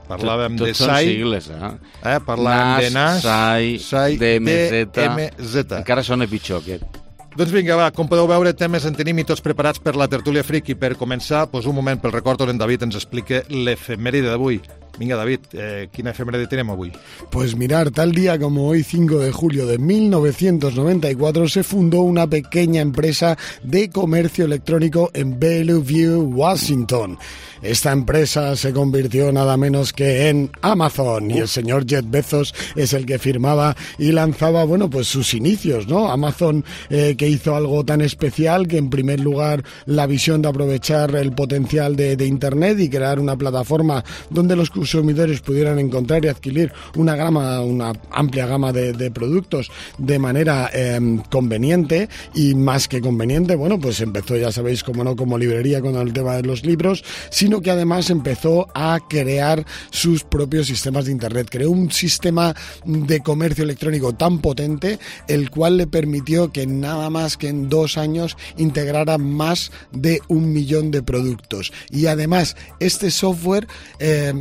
Parlàvem tot, tot de S A I. Sigles, eh? eh? Parlàvem de N A S, S A I, S A I, D M Z. D M Z. Encara sona pitjor, aquest. Doncs vinga, va, com podeu veure, temes en tenim i tots preparats per la tertúlia Freak. I per començar, doncs un moment pel record on en David ens explica l'efemèride d'avui. Venga, David, eh, ¿qué efeméride tenemos hoy? Pues mirar, tal día como hoy, cinco de julio de mil novecientos noventa y cuatro, se fundó una pequeña empresa de comercio electrónico en Bellevue, Washington. Esta empresa se convirtió nada menos que en Amazon, y el señor Jeff Bezos es el que firmaba y lanzaba, bueno, pues sus inicios, ¿no? Amazon, eh, que hizo algo tan especial que, en primer lugar, la visión de aprovechar el potencial de, de Internet y crear una plataforma donde los consumidores pudieran encontrar y adquirir una gama, una amplia gama de, de productos de manera eh, conveniente, y más que conveniente, bueno, pues empezó, ya sabéis, como no, como librería con el tema de los libros, sino que además empezó a crear sus propios sistemas de Internet. Creó un sistema de comercio electrónico tan potente, el cual le permitió que nada más que en dos años integrara más de un millón de productos. Y además, este software eh,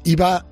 iba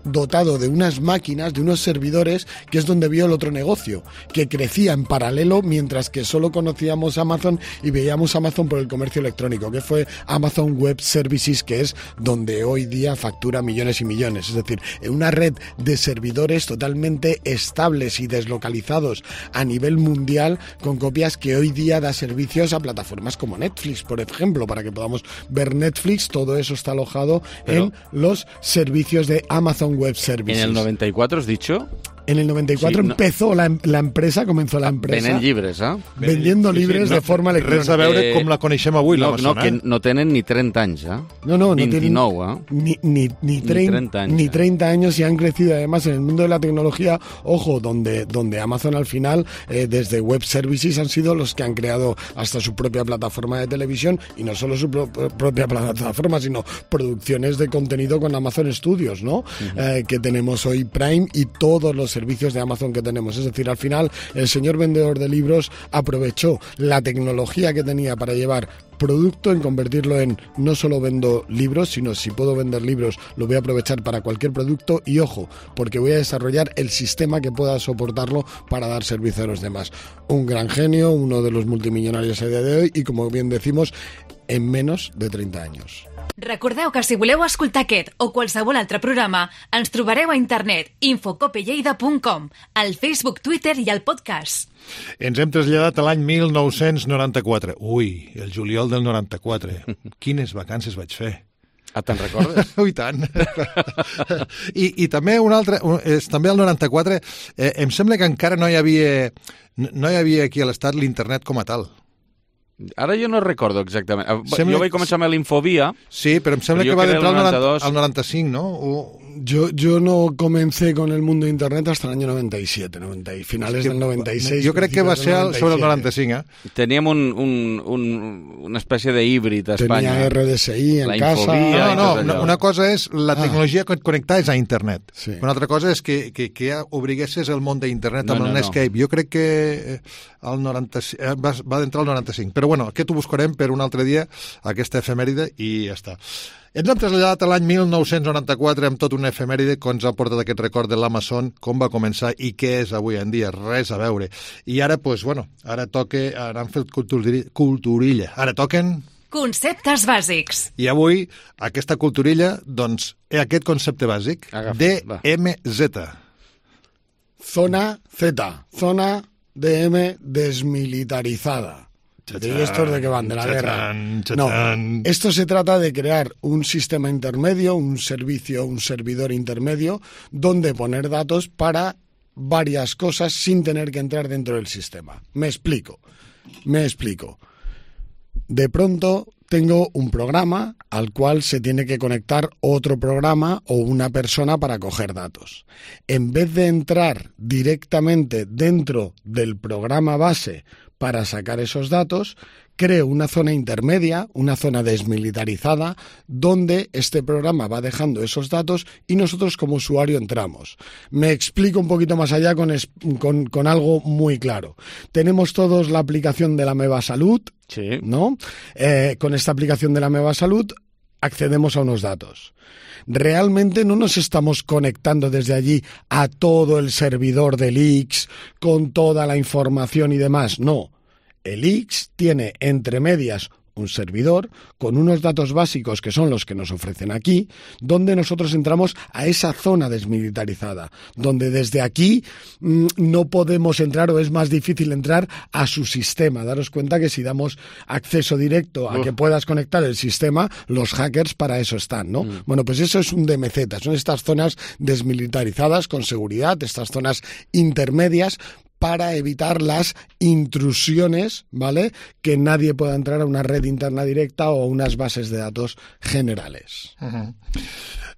dotado de unas máquinas, de unos servidores, que es donde vio el otro negocio, que crecía en paralelo, mientras que solo conocíamos Amazon y veíamos Amazon por el comercio electrónico, que fue Amazon Web Services, que es donde hoy día factura millones y millones. Es decir, en una red de servidores totalmente estables y deslocalizados a nivel mundial, con copias que hoy día da servicios a plataformas como Netflix, por ejemplo, para que podamos ver Netflix. Todo eso está alojado Pero... en los servicios de Amazon Web Services. ¿En el noventa y cuatro has dicho? En el noventa y cuatro Sí, no. empezó la, la empresa, comenzó la empresa... Venen llibres, eh? Vendiendo libres de forma electrònica. Res a veure Eh, com la coneixem avui, no, l'Amazon, no, que eh? no tenen ni treinta anys, ¿eh? No, no, no tienen veintinueve, ¿eh? ni, ni, ni, trein- treinta años, ni ¿eh? treinta años y han crecido además en el mundo de la tecnología, ojo, donde, donde Amazon al final, eh, desde Web Services han sido los que han creado hasta su propia plataforma de televisión y no solo su pro- propia plataforma, sino producciones de contenido con Amazon Studios, ¿no? Uh-huh. eh, que tenemos hoy Prime y todos los servicios de Amazon que tenemos. Es decir, al final el señor vendedor de libros aprovechó la tecnología que tenía para llevar producto en convertirlo en no solo vendo libros, sino si puedo vender libros lo voy a aprovechar para cualquier producto y ojo, porque voy a desarrollar el sistema que pueda soportarlo para dar servicio a los demás. Un gran genio, uno de los multimillonarios a día de hoy y como bien decimos, en menos de treinta años. Recordeu que si voleu escoltar aquest o qualsevol altre programa, ens trobareu a internet infocopelleida punt com, al Facebook, Twitter i al podcast. Ens hem traslladat a l'any mil nou-cents noranta-quatre. Ui, el juliol del noranta-quatre. Quines vacances vaig fer. Ah, te'n recordes? Ui, tant. I, I també un altre, un, és, també el noranta-quatre, eh, em sembla que encara no hi havia, no hi havia aquí a l'Estat l'internet com a tal. Ara jo no recordo exactament. Sembla... Jo vaig començar amb l'Infobia. Sí, però em sembla que va entrar al noranta, al noranta-cinc, ¿no? O... Yo, yo no comencé con el mundo de Internet hasta el año noventa y siete, noventa, finales es que, del noventa y seis. Jo crec que va ser sobre el noranta-cinc, eh? Teníem un, un, un, una espècie de híbrid a Espanya. Tenia R D S I en la casa. No, no, una, una cosa és la tecnologia ah. connectada és a internet. Sí. Una altra cosa és que, que, que ja obriguessis el món d'internet no, amb no, el Netscape. No. Jo crec que el noranta-cinc, va, va d'entrar al noranta-cinc. Però bueno, aquest ho buscarem per un altre dia, aquesta efemèride, i ja està. Ens hem traslladat a l'any mil nou-cents noranta-quatre amb tot una efemèride que ens ha portat aquest record de l'Amazon, com va començar i què és avui en dia, res a veure. I ara, doncs, bueno, ara toca, ara han fet culturilla. Ara toquen... Conceptes bàsics. I avui, aquesta culturilla, doncs, és aquest concepte bàsic, D M Z. Zona Z, zona D M desmilitarizada. ¿Y estos de qué van? ¿De la guerra? No, esto se trata de crear un sistema intermedio, un servicio, un servidor intermedio, donde poner datos para varias cosas sin tener que entrar dentro del sistema. Me explico, me explico. De pronto tengo un programa al cual se tiene que conectar otro programa o una persona para coger datos. En vez de entrar directamente dentro del programa base para sacar esos datos, creo una zona intermedia, una zona desmilitarizada, donde este programa va dejando esos datos y nosotros como usuario entramos. Me explico un poquito más allá con, es, con, con algo muy claro. Tenemos todos la aplicación de la Meva Salud, sí. ¿no? Eh, con esta aplicación de la Meva Salud accedemos a unos datos. Realmente no nos estamos conectando desde allí a todo el servidor del I X con toda la información y demás. No, el I X tiene entre medias un servidor con unos datos básicos que son los que nos ofrecen aquí, donde nosotros entramos a esa zona desmilitarizada, donde desde aquí mmm, no podemos entrar o es más difícil entrar a su sistema. Daros cuenta que si damos acceso directo a uh. que puedas conectar el sistema, los hackers para eso están, ¿no? Mm. Bueno, pues eso es un D M Z, son estas zonas desmilitarizadas con seguridad, estas zonas intermedias, para evitar las intrusiones, ¿vale? Que nadie pueda entrar a una red interna directa o a unas bases de datos generales. Uh-huh.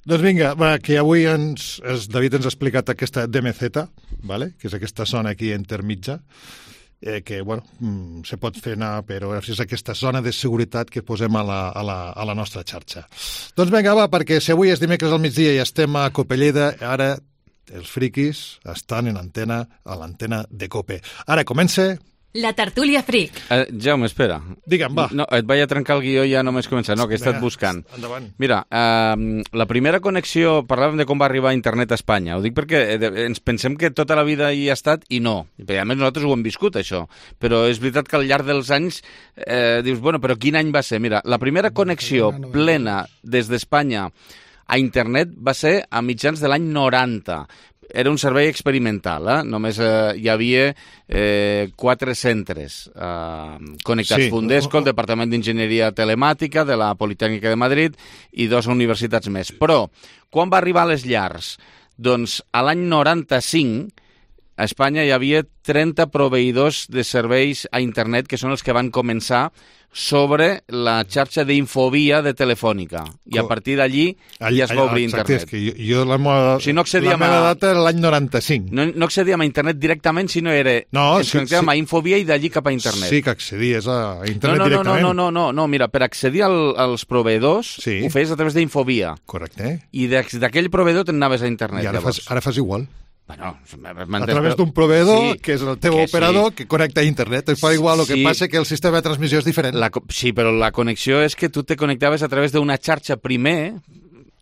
Doncs vinga, va, que avui ens, es, David ens ha explicat aquesta D M Z, ¿vale? Que és aquesta zona aquí intermitja, eh, que bueno, mm, se pot fer anar, però és aquesta zona de seguretat que posem a la, a la, a la nostra xarxa. Doncs vinga, va, perquè si avui és dimecres al migdia i estem a Copelleda, ara els friquis estan en antena, a l'antena de Cope. Ara comença... La tertúlia fric. Uh, Jaume, espera. Digue'm, va. No, et vaig a trencar el guió i ja només començar. No, que he estat buscant. Endavant. Mira, uh, la primera connexió, parlàvem de com va arribar internet a Espanya. Ho dic perquè ens pensem que tota la vida hi ha estat i no. I a més nosaltres ho hem viscut, això. Però és veritat que al llarg dels anys eh, dius, bueno, però quin any va ser? Mira, la primera connexió plena des d'Espanya a internet va ser a mitjans de l'any noranta. Era un servei experimental, eh? Només eh, hi havia eh, quatre centres eh, connectats. Sí. Fundesco, el Departament d'Enginyeria Telemàtica de la Politècnica de Madrid i dues universitats més. Però, quan va arribar a les llars Doncs a l'any noranta-cinc a Espanya hi havia trenta proveïdors de serveis a internet que són els que van començar sobre la xarxa d'Infovia de Telefònica. I a partir d'allí ja es va obrir internet. Exacte, és que jo, jo la, meva, o sigui, no la meva data era l'any noranta-cinc. No, no accedíem a internet directament, sinó era... No, ens sí, connectàvem sí. a Infovia i d'allí cap a internet. Sí que accedies a internet no, no, directament. No, no, no, no, no, mira, per accedir al, als proveïdors sí. ho feies a través d'Infovia. Correcte. I d'aquell proveïdor te'n anaves a internet. I ara fas, ara fas igual. Bueno, a través d'un proveïdor, sí, que és el teu operador, sí. que connecta a internet. Es fa igual, el sí. que passa que el sistema de transmissió és diferent. La, sí, però la connexió és que tu te connectaves a través d'una xarxa primer...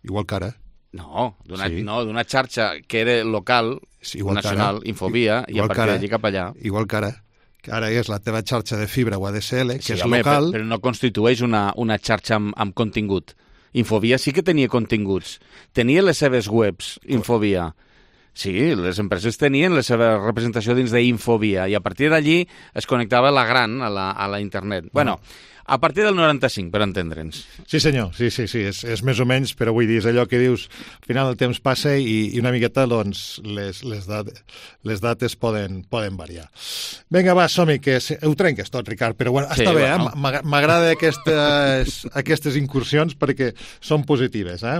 Igual que ara. No, d'una sí. no, d'una xarxa que era local, sí, nacional, Infovia, i a partir d'allí cap allà. Igual que ara. Que ara és la teva xarxa de fibra o A D S L, que sí, és home, local... Però, però no constitueix una, una xarxa amb, amb contingut. Infovia sí que tenia continguts. Tenia les seves webs, Infovia. Sí, les empreses tenien la seva representació dins d'Infovia i a partir d'allí es connectava la gran a la, a la internet. Bueno, a partir del noranta-cinc, per entendre'ns. Sí, senyor, sí, sí, sí, és, és més o menys, però vull dir, és allò que dius, al final el temps passa i, i una miqueta, doncs, les, les, dat, les dates poden, poden variar. Vinga, va, som-hi, que ho trenques tot, Ricard, però bueno, sí, està bé, bueno. eh? M'agrada aquestes, aquestes incursions perquè són positives, eh?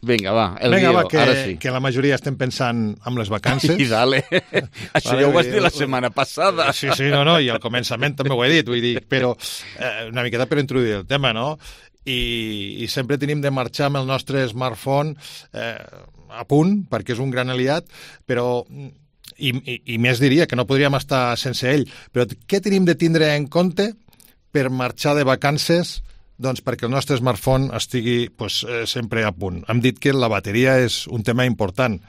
Vinga, va, el Vinga, guió, va, que, ara sí. Que la majoria estem pensant en les vacances. I dale. Això vale, ja ho vas dir la setmana passada. Sí, sí, no, no, i al començament també ho he dit, vull dir, però eh, una miqueta per introduir el tema, no? I, i sempre tenim de marxar amb el nostre smartphone eh, a punt, perquè és un gran aliat, però... I, i, i més diria que no podríem estar sense ell, però què tenim de tindre en compte per marxar de vacances doncs perquè el nostre smartphone estigui pues, eh, sempre a punt. Hem dit que la bateria és un tema important.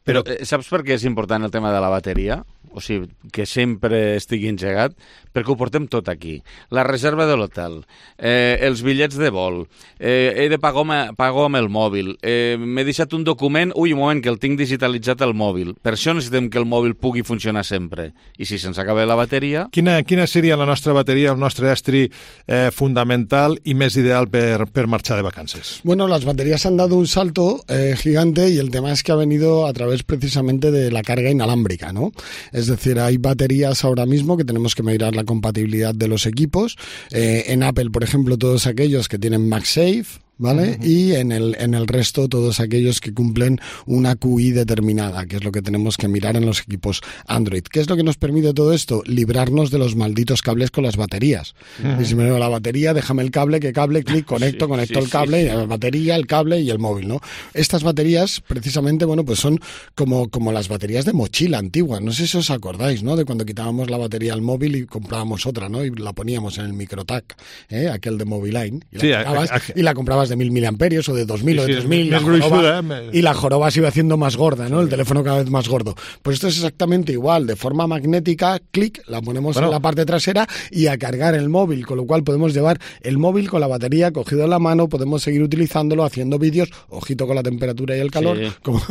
Però, però saps per què és important el tema de la bateria? O sigui, que sempre estigui engegat, perquè ho portem tot aquí. La reserva de l'hotel, eh, els bitllets de vol, eh, he de pagar, pagar amb el mòbil, eh, m'he deixat un document, ui, un moment, que el tinc digitalitzat al mòbil. Per això necessitem que el mòbil pugui funcionar sempre. I si se'ns acaba la bateria... Quina, quina seria la nostra bateria, el nostre estri eh, fundamental y més ideal per, per marxar de vacances? Bueno, las baterías han dado un salto eh, gigante y el tema es que ha venido a través precisamente de la carga inalámbrica, ¿no? Es decir, hay baterías ahora mismo que tenemos que mirar la compatibilidad de los equipos. Eh, en Apple, por ejemplo, todos aquellos que tienen MagSafe, ¿vale? Uh-huh. Y en el, en el resto todos aquellos que cumplen una Q I determinada, que es lo que tenemos que mirar en los equipos Android. ¿Qué es lo que nos permite todo esto? Librarnos de los malditos cables con las baterías. Uh-huh. Y si me veo la batería, déjame el cable, que cable, clic, conecto, sí, conecto sí, el cable, sí, sí. la batería, el cable y el móvil, ¿no? Estas baterías, precisamente, bueno, pues son como, como las baterías de mochila antiguas. No sé si os acordáis, ¿no? De cuando quitábamos la batería al móvil y comprábamos otra, ¿no? Y la poníamos en el microtac, ¿eh? Aquel de Moviline. Y la, sí, a, a, y la comprabas de mil miliamperios o de dos mil sí, o de tres mil, sí, la joroba, eh, y la joroba se iba haciendo más gorda, ¿no? Sí. El teléfono cada vez más gordo. Pues esto es exactamente igual, de forma magnética, clic, la ponemos bueno. en la parte trasera y a cargar el móvil, con lo cual podemos llevar el móvil con la batería cogido en la mano, podemos seguir utilizándolo, haciendo vídeos, ojito con la temperatura y el calor, sí. como,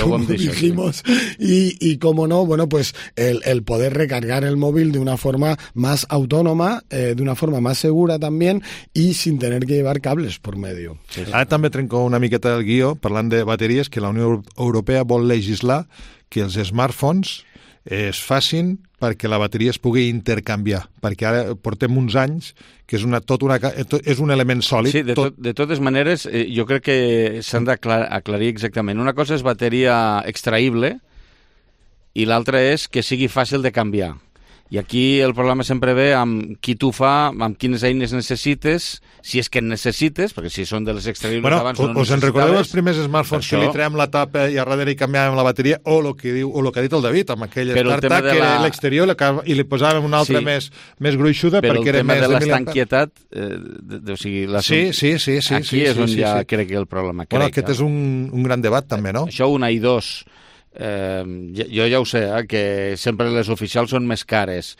como dijimos, y, y como no, bueno, pues el, el poder recargar el móvil de una forma más autónoma, eh, de una forma más segura también y sin tener que llevar cables por medio. Sí, sí. Ara també trenco una miqueta el guió parlant de bateries, que la Unió Europea vol legislar que els smartphones es facin perquè la bateria es pugui intercanviar, perquè ara portem uns anys que és, una, tot una, és un element sòlid. Sí, de, tot... Tot, de totes maneres, eh, jo crec que s'han d'aclarir exactament. Una cosa és bateria extraïble i l'altra és que sigui fàcil de canviar. I aquí el problema sempre ve amb qui tu fa, amb quines eines necessites, si és que en necessites, perquè si són de les extraïbles bueno, abans no us en recordeu els primers smartphones que li traiem la tapa i a darrere hi canviàvem la bateria, o el que, diu, o lo que ha dit el David, amb aquell StarTAC que era la... l'exterior i li posàvem una altra sí. més, més gruixuda però perquè era més... Però el tema de l'estanquietat, eh, de, de, o sigui... La... Sí, sí, sí, sí. Aquí sí, és on sí, ja sí. crec que el problema. Bueno, crec, aquest és un, un gran debat també, no? Això una i dos, eh, jo ja ho sé, eh, que sempre les oficials són més cares,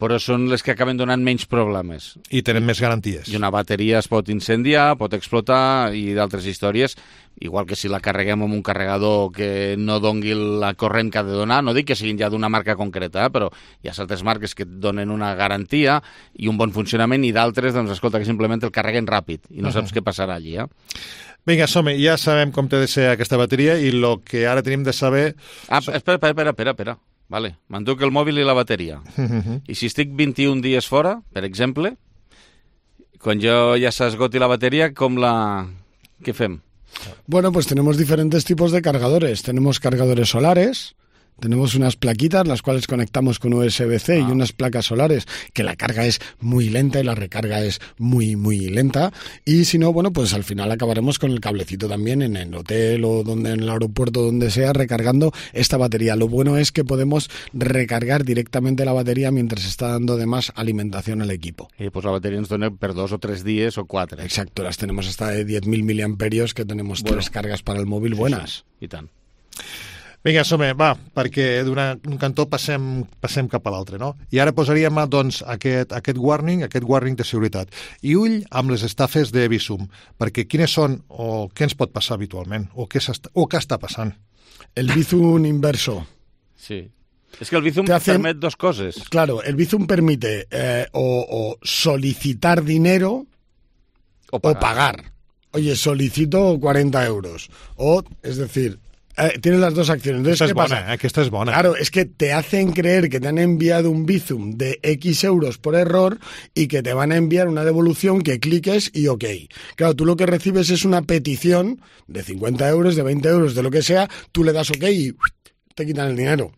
però són les que acaben donant menys problemes. I tenen més garanties. I una bateria es pot incendiar, pot explotar i d'altres històries, igual que si la carreguem amb un carregador que no dongui la corrent que ha de donar, no dic que siguin ja d'una marca concreta, eh, però hi ha certes marques que et donen una garantia i un bon funcionament i d'altres, doncs, escolta, que simplement el carreguen ràpid i no saps uh-huh. què passarà allí, eh? Vinga, som-hi, ja sabem com té de ser aquesta bateria i el que ara tenim de saber... Ah, espera, espera, espera, espera. Vale, m'enduc el mòbil i la bateria. Uh-huh. I si estic vint-i-un dies fora, per exemple, quan jo ja s'esgoti la bateria, com la... ¿Qué fem? Bueno, pues tenemos diferentes tipos de cargadores. Tenemos cargadores solares, tenemos unas plaquitas las cuales conectamos con U S B C ah. y unas placas solares que la carga es muy lenta y la recarga es muy, muy lenta. Y si no, bueno, pues al final acabaremos con el cablecito también en el hotel o donde en el aeropuerto, donde sea, recargando esta batería. Lo bueno es que podemos recargar directamente la batería mientras está dando además alimentación al equipo. Y pues la batería nos dona per dos o tres días o cuatro. Exacto, las tenemos hasta de diez mil miliamperios que tenemos bueno. tres cargas para el móvil buenas. Sí, sí. I tant. Vinga, som-hi, va, perquè d'un cantó passem, passem cap a l'altre, no? I ara posaríem, doncs, aquest, aquest warning, aquest warning de seguretat. I ull amb les estafes de Bizum, perquè quines són o què ens pot passar habitualment, o què, o què està passant? El Bizum inverso. Sí. Es que el Bizum hacen, permite dos cosas. Claro, el Bizum permite eh, o, o solicitar dinero o pagar. o pagar. Oye, solicito cuarenta euros. O, es decir... Eh, tienes las dos acciones. Entonces, esta ¿qué es buena, pasa? Eh, que esta es buena. Claro, es que te hacen creer que te han enviado un Bizum de X euros por error y que te van a enviar una devolución que cliques y ok. Claro, tú lo que recibes es una petición de cincuenta euros, de veinte euros, de lo que sea, tú le das ok y te quitan el dinero.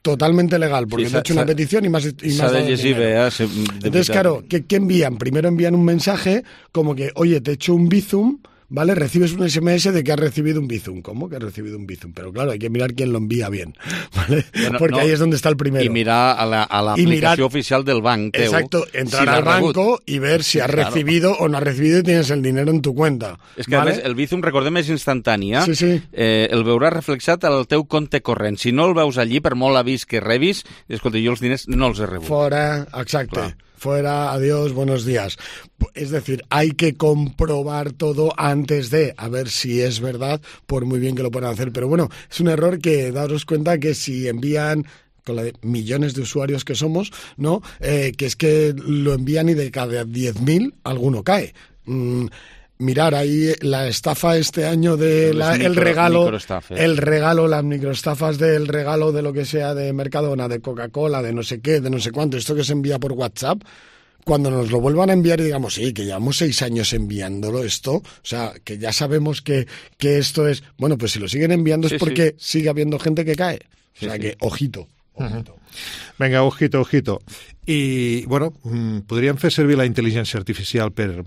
Totalmente legal, porque sí, te ha hecho una petición y más y más de dinero. Eh, se, de Entonces, claro, ¿qué, ¿qué envían? Primero envían un mensaje como que, oye, te he hecho un Bizum, ¿vale? Recibes un ese eme ese de que has recibido un Bizum. ¿Cómo que has recibido un Bizum? Pero claro, hay que mirar quién lo envía bien, ¿vale? Bueno, porque no, ahí es donde está el primero. Y mirar a la, a la aplicación mirar, oficial del banco. Exacto, entrar si al banco y ver si has claro. recibido o no has recibido y tienes el dinero en tu cuenta. És que, ¿vale? A més, el Bizum, recordem, és instantani. Sí, sí. Eh, el veuràs reflexat al teu compte corrent. Si no el veus allí, per molt avís que rebis, escolta, jo els diners no els he rebut. Fora, exacte. Clar. Fuera, adiós, buenos días. Es decir, hay que comprobar todo antes de, a ver si es verdad, por muy bien que lo puedan hacer. Pero bueno, es un error que daros cuenta que si envían con la de millones de usuarios que somos, ¿no? Eh, que es que lo envían y de cada diez mil alguno cae. Mm, Mirar ahí la estafa este año de la, micro, el regalo, el regalo, las microestafas del regalo de lo que sea de Mercadona, de Coca-Cola, de no sé qué, de no sé cuánto, esto que se envía por WhatsApp, cuando nos lo vuelvan a enviar y digamos, sí, que llevamos seis años enviándolo esto, o sea, que ya sabemos que, que esto es, bueno, pues si lo siguen enviando sí, es porque sí. sigue habiendo gente que cae, o sea sí, que, sí. ojito. ojito. Uh-huh. Venga, ojito, ojito. I, bueno, podríem fer servir la intel·ligència artificial per...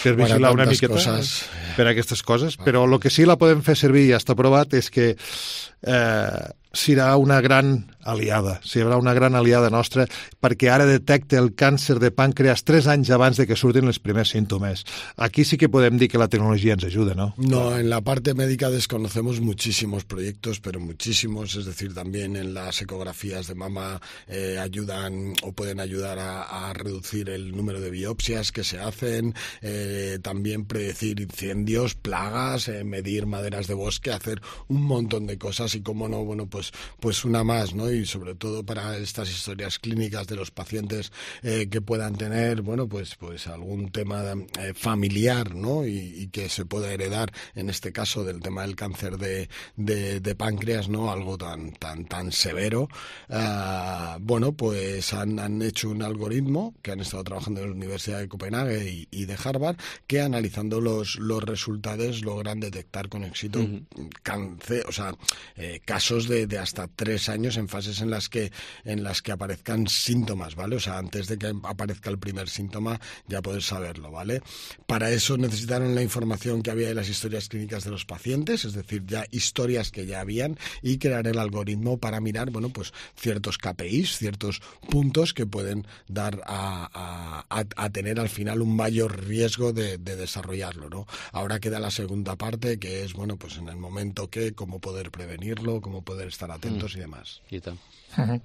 per vigilar una miqueta coses. per aquestes coses, però el que sí la podem fer servir i ja està provat és que eh, serà una gran aliada, serà una gran aliada nostra perquè ara detecta el càncer de pàncreas tres anys abans de que surtin els primers símptomes. Aquí sí que podem dir que la tecnologia ens ajuda, ¿no? No, en la parte médica desconocemos muchísimos proyectos, pero muchísimos, es decir, también en las ecografías de mama eh, ayudan o pueden ayudar a, a reducir el número de biopsias que se hacen, eh, también predecir incendios, plagas, eh, medir maderas de bosque, hacer un montón de cosas y cómo no, bueno, pues, pues una más, ¿no? Y sobre todo para estas historias clínicas de los pacientes eh, que puedan tener, bueno, pues, pues algún tema eh, familiar, ¿no? Y, y que se pueda heredar, en este caso del tema del cáncer de, de, de páncreas, ¿no? Algo tan, tan, tan severo. Uh, bueno, pues han, han hecho un algoritmo que han estado trabajando en la Universidad de Copenhague y, y de Harvard, que analizando los, los resultados logran detectar con éxito uh-huh. cáncer, o sea, eh, casos de, de hasta tres años en fases en las que en las que aparezcan síntomas, ¿vale? O sea, antes de que aparezca el primer síntoma ya poder saberlo, ¿vale? Para eso necesitaron la información que había de las historias clínicas de los pacientes, es decir, ya historias que ya habían, y crear el algoritmo para mirar, bueno, pues ciertos K P Is, ciertos puntos que pueden dar a, a, a tener al final un mayor riesgo de, de desarrollarlo, ¿no? Ahora queda la segunda parte, que es, bueno, pues en el momento que, cómo poder prevenirlo, cómo poder estar atentos mm. i demás. I tant. Uh-huh.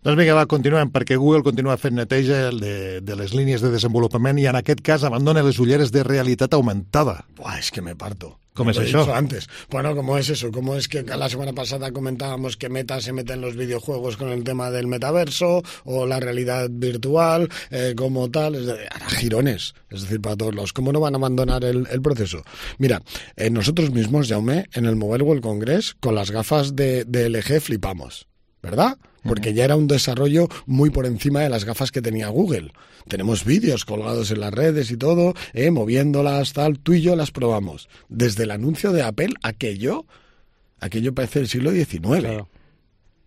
Doncs vinga, va, continuem, perquè Google continua fent neteja de, de les línies de desenvolupament i en aquest cas abandona les ulleres de realitat augmentada. Buah, es que me parto. ¿Cómo es eso? Antes. Bueno, ¿cómo es eso? ¿Cómo es que la semana pasada comentábamos que Meta se mete en los videojuegos con el tema del metaverso o la realidad virtual, eh, como tal? Es de, hará girones, es decir, para todos lados. ¿Cómo no van a abandonar el, el proceso? Mira, eh, nosotros mismos, Jaume, en el Mobile World Congress, con las gafas de, de L G flipamos, ¿verdad? Porque ya era un desarrollo muy por encima de las gafas que tenía Google. Tenemos vídeos colgados en las redes y todo, eh, moviéndolas, tal, tú y yo las probamos. Desde el anuncio de Apple, aquello, aquello parece el siglo diecinueve. Claro.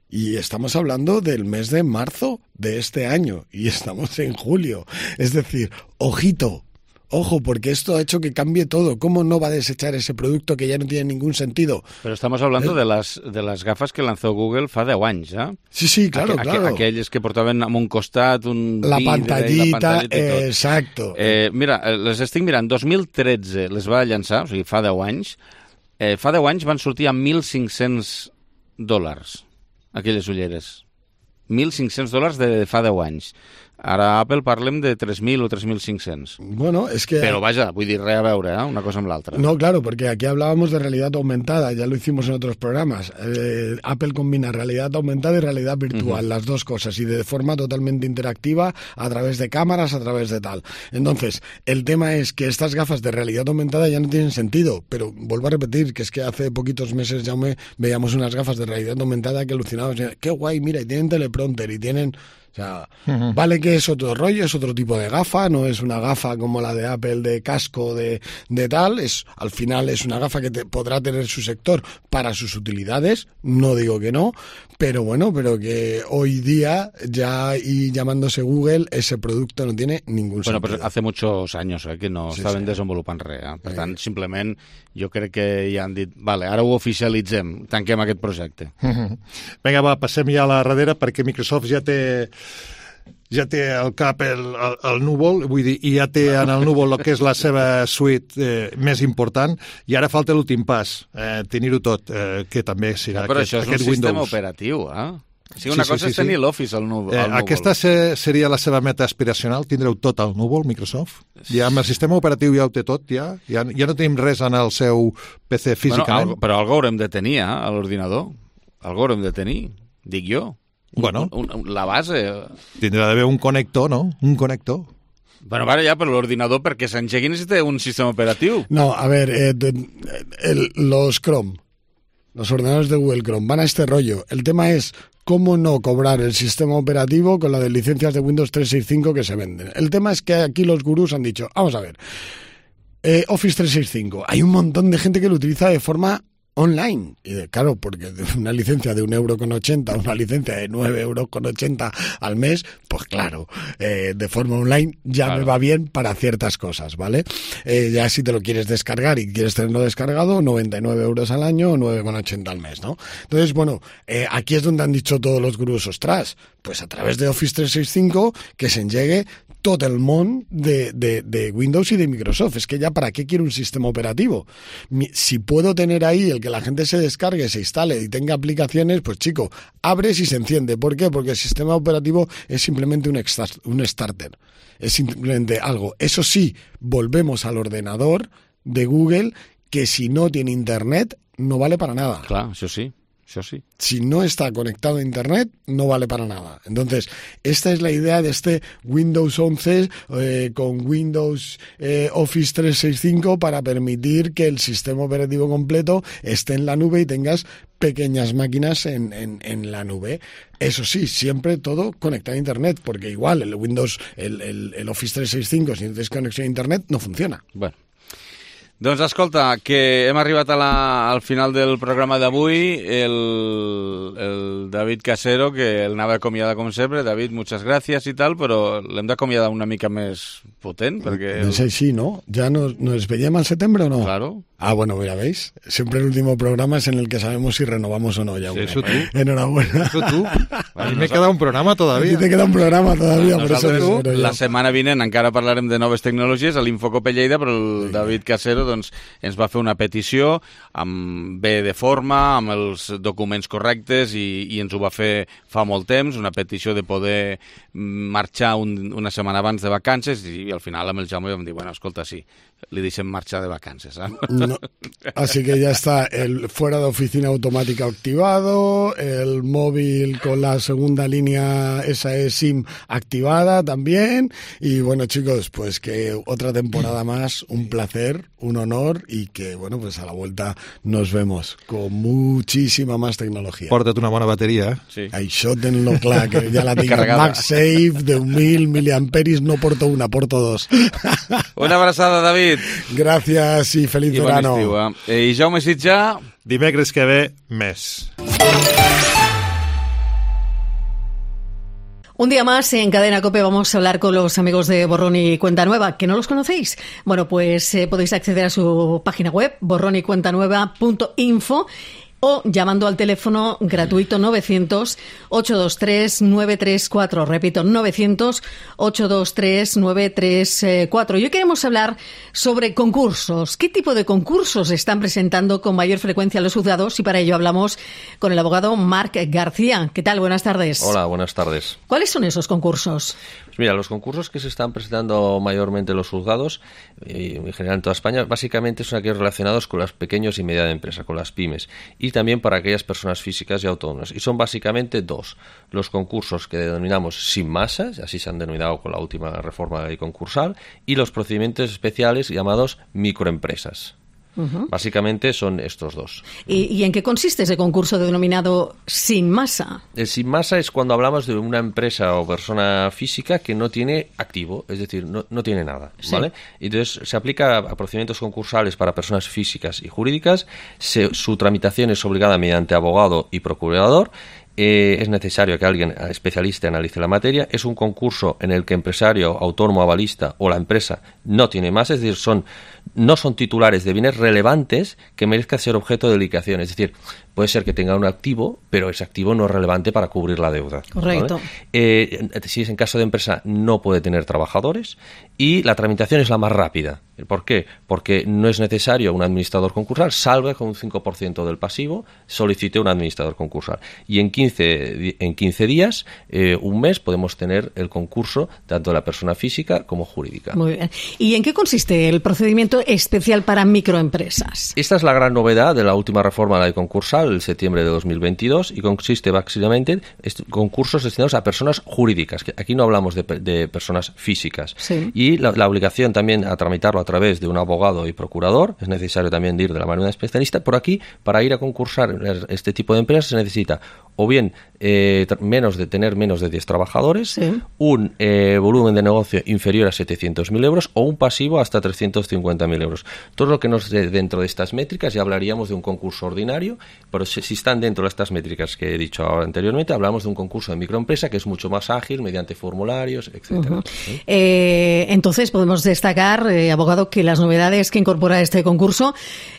Y estamos hablando del mes de marzo de este año, y estamos en julio. Es decir, ojito, ojo, porque esto ha hecho que cambie todo. ¿Cómo no va a desechar ese producto que ya no tiene ningún sentido? Pero estamos hablando de las, de las gafas que lanzó Google fa deu anys, ¿eh? Sí, sí, claro, Aqu claro. Aquelles que portaven amb un costat, un la vidre, pantallita, la pantallita eh, exacto. Eh, mira, les estic mirant, dos mil tretze les va llançar, o sigui, fa deu anys. Eh, fa deu anys van sortir a mil cinc-cents dòlars, aquelles ulleres. mil cinc-cents dòlars de fa deu anys. Ara Apple parlem de tres mil o tres mil cinc-cents. Bueno, es que... Pero vaya, vull dir, res a veure, ¿eh? Una cosa amb l'altra. No, claro, porque aquí hablábamos de realidad aumentada, ya lo hicimos en otros programas. Eh, Apple combina realidad aumentada y realidad virtual, uh-huh. las dos cosas, y de forma totalmente interactiva, a través de cámaras, a través de tal. Entonces, el tema es que estas gafas de realidad aumentada ya no tienen sentido, pero vuelvo a repetir que es que hace poquitos meses ya me veíamos unas gafas de realidad aumentada que alucinábamos. Qué guay, mira, y tienen teleprompter y tienen... O sea, uh-huh. vale que es otro rollo, es otro tipo de gafa, no es una gafa como la de Apple de casco de, de tal, es al final es una gafa que te, podrá tener su sector para sus utilidades, no digo que no, pero bueno, pero que hoy día ya y llamándose Google ese producto no tiene ningún bueno, sentido. Bueno, però hace muchos años eh, que no sí, estaven sí. desenvolupant res, eh? Per sí. tant, simplement jo crec que ja han dit, vale, ara ho oficialitzem, tanquem aquest projecte. Uh-huh. Vinga, va, passem ja a la darrera perquè Microsoft ja té ja té al cap el, el, el núvol, vull dir, i ja té en el núvol el que és la seva suite eh, més important, i ara falta l'últim pas, eh, tenir-ho tot, eh, que també serà no, però aquest, això és aquest un Windows. Sistema operatiu, eh? O sigui, una sí, cosa sí, sí, és tenir sí. l'Office al núvol. Eh, aquesta se, seria la seva meta aspiracional, tindreu tot al núvol, Microsoft? Ja amb el sistema operatiu ja ho té tot, ja? Ja, ja no tenim res en el seu P C físicament? Bueno, però algo haurem de tenir, eh, a l'ordinador. Algo haurem de tenir, dic jo. Bueno, un, un, la base... Tindrà d'haver un connector, no? Un connector. Bueno, vale, ja, però l'ordinador perquè s'engegui necessita un sistema operatiu. No, a ver, eh, el, los Chrome, los ordenadores de Google Chrome van a este rollo. El tema es cómo no cobrar el sistema operativo con la de licencias de Windows trescientos sesenta y cinco que se venden. El tema es que aquí los gurús han dicho, vamos a ver, eh, Office trescientos sesenta y cinco, hay un montón de gente que lo utiliza de forma online, y de, claro, porque una licencia de un euro con ochenta, una licencia de nueve euros con ochenta al mes, pues claro, eh, de forma online ya claro. me va bien para ciertas cosas, ¿vale? Eh, ya si te lo quieres descargar y quieres tenerlo descargado, noventa y nueve euros al año o nueve con ochenta al mes, ¿no? Entonces, bueno, eh, aquí es donde han dicho todos los gurús, ostras, pues a través de Office trescientos sesenta y cinco que se engegue tot el món de, de, de Windows y de Microsoft. Es que ya para qué quiero un sistema operativo. Si puedo tener ahí el que la gente se descargue, se instale y tenga aplicaciones, pues chico, abres y se enciende. ¿Por qué? Porque el sistema operativo es simplemente un, extra, un starter. Es simplemente algo. Eso sí, volvemos al ordenador de Google que si no tiene internet no vale para nada. Claro, eso sí. Eso sí. Si no está conectado a internet, no vale para nada. Entonces, esta es la idea de este Windows once eh, con Windows eh, Office trescientos sesenta y cinco para permitir que el sistema operativo completo esté en la nube y tengas pequeñas máquinas en, en, en la nube. Eso sí, siempre todo conectado a internet, porque igual el Windows, el, el, el Office trescientos sesenta y cinco, si no tienes conexión a internet, no funciona. Bueno. Doncs escolta, que hem arribat a la, al final del programa d'avui, el, el David Casero, que el anava acomiadar com sempre. David, muchas gracias y tal, però l'hem d'acomiadar una mica més potent, perquè... No sé si, ¿no? ¿Ya nos, nos veiem al setembre o no? Claro. Ah, bueno, ya veis, siempre el último programa es en el que sabemos si renovamos o no. Ya sí, eso tú. Enhorabuena. Eso tú. A mí me queda un programa todavía. A ti te queda un programa todavía, por eso tú. La setmana vinent encara parlarem de noves tecnologies a l'Infocop Lleida, però el David Casero doncs, ens va fer una petició amb bé de forma, amb els documents correctes i, i ens ho va fer fa molt temps, una petició de poder marxar un, una setmana abans de vacances i, i al final amb el Jaume vam dir, bueno, escolta, sí, li deixem marxar de vacances. ¿eh? No. Así que ya está el fuera de oficina automática activado, el móvil con la segunda línea S A E SIM activada también. Y bueno, chicos, pues que otra temporada más, un placer, un honor y que, bueno, pues a la vuelta nos vemos con muchísima más tecnología. Porta't una bona bateria, eh? Sí. Això tenlo clar, que ja la tinc. MagSafe, deu mil miliamperis, no porto una, porto dos. Una abraçada, David. Gracias y feliz I verano. Bon estiu, eh? I Jaume Sitjà... Dimecres que ve, més. Un día más en Cadena COPE vamos a hablar con los amigos de Borrón y Cuenta Nueva. ¿Que no los conocéis? Bueno, pues eh, podéis acceder a su página web, borrón y cuenta nueva punto info, o llamando al teléfono gratuito novecientos, ochocientos veintitrés, novecientos treinta y cuatro. Repito, novecientos, ochocientos veintitrés, novecientos treinta y cuatro. Y hoy queremos hablar sobre concursos. ¿Qué tipo de concursos están presentando con mayor frecuencia los juzgados? Y para ello hablamos con el abogado Marc García. ¿Qué tal? Buenas tardes. Hola, buenas tardes. ¿Cuáles son esos concursos? Pues mira, los concursos que se están presentando mayormente en los juzgados, y en general en toda España, básicamente son aquellos relacionados con las pequeñas y medianas empresas, con las pymes, y también para aquellas personas físicas y autónomas. Y son básicamente dos. Los concursos que denominamos sin masas, así se han denominado con la última reforma de la ley concursal, y los procedimientos especiales llamados microempresas. Uh-huh. Básicamente son estos dos. ¿Y, ¿Y en qué consiste ese concurso denominado sin masa? El sin masa es cuando hablamos de una empresa o persona física que no tiene activo, es decir, no, no tiene nada, ¿vale? Sí. Entonces se aplica a procedimientos concursales para personas físicas y jurídicas. Se, su tramitación es obligada mediante abogado y procurador. Eh, es necesario que alguien especialista analice la materia. Es un concurso en el que empresario, autónomo, avalista o la empresa no tiene más, es decir, son no son titulares de bienes relevantes que merezcan ser objeto de liquidación. Es decir, puede ser que tenga un activo, pero ese activo no es relevante para cubrir la deuda. Correcto. ¿Vale? Eh, si es en caso de empresa, no puede tener trabajadores y la tramitación es la más rápida. ¿Por qué? Porque no es necesario un administrador concursal, salvo que con un cinco por ciento del pasivo solicite un administrador concursal. Y en quince, en quince días, eh, un mes, podemos tener el concurso tanto de la persona física como jurídica. Muy bien. ¿Y en qué consiste el procedimiento especial para microempresas? Esta es la gran novedad de la última reforma de la ley concursal, en septiembre de dos mil veintidós, y consiste básicamente en concursos destinados a personas jurídicas, que aquí no hablamos de, de personas físicas. Sí. Y la, la obligación también a tramitarlo a través de un abogado y procurador, es necesario también ir de la mano de un especialista. Por aquí, para ir a concursar este tipo de empresas se necesita o bien eh, menos de tener menos de diez trabajadores, sí. un eh, volumen de negocio inferior a setecientos mil euros o un pasivo hasta trescientos cincuenta mil euros. Todo lo que nos dé dentro de estas métricas, ya hablaríamos de un concurso ordinario, pero si, si están dentro de estas métricas que he dicho ahora anteriormente, hablamos de un concurso de microempresa que es mucho más ágil, mediante formularios, etcétera. Uh-huh. ¿Sí? Eh, entonces podemos destacar, eh, abogado, que las novedades que incorpora este concurso,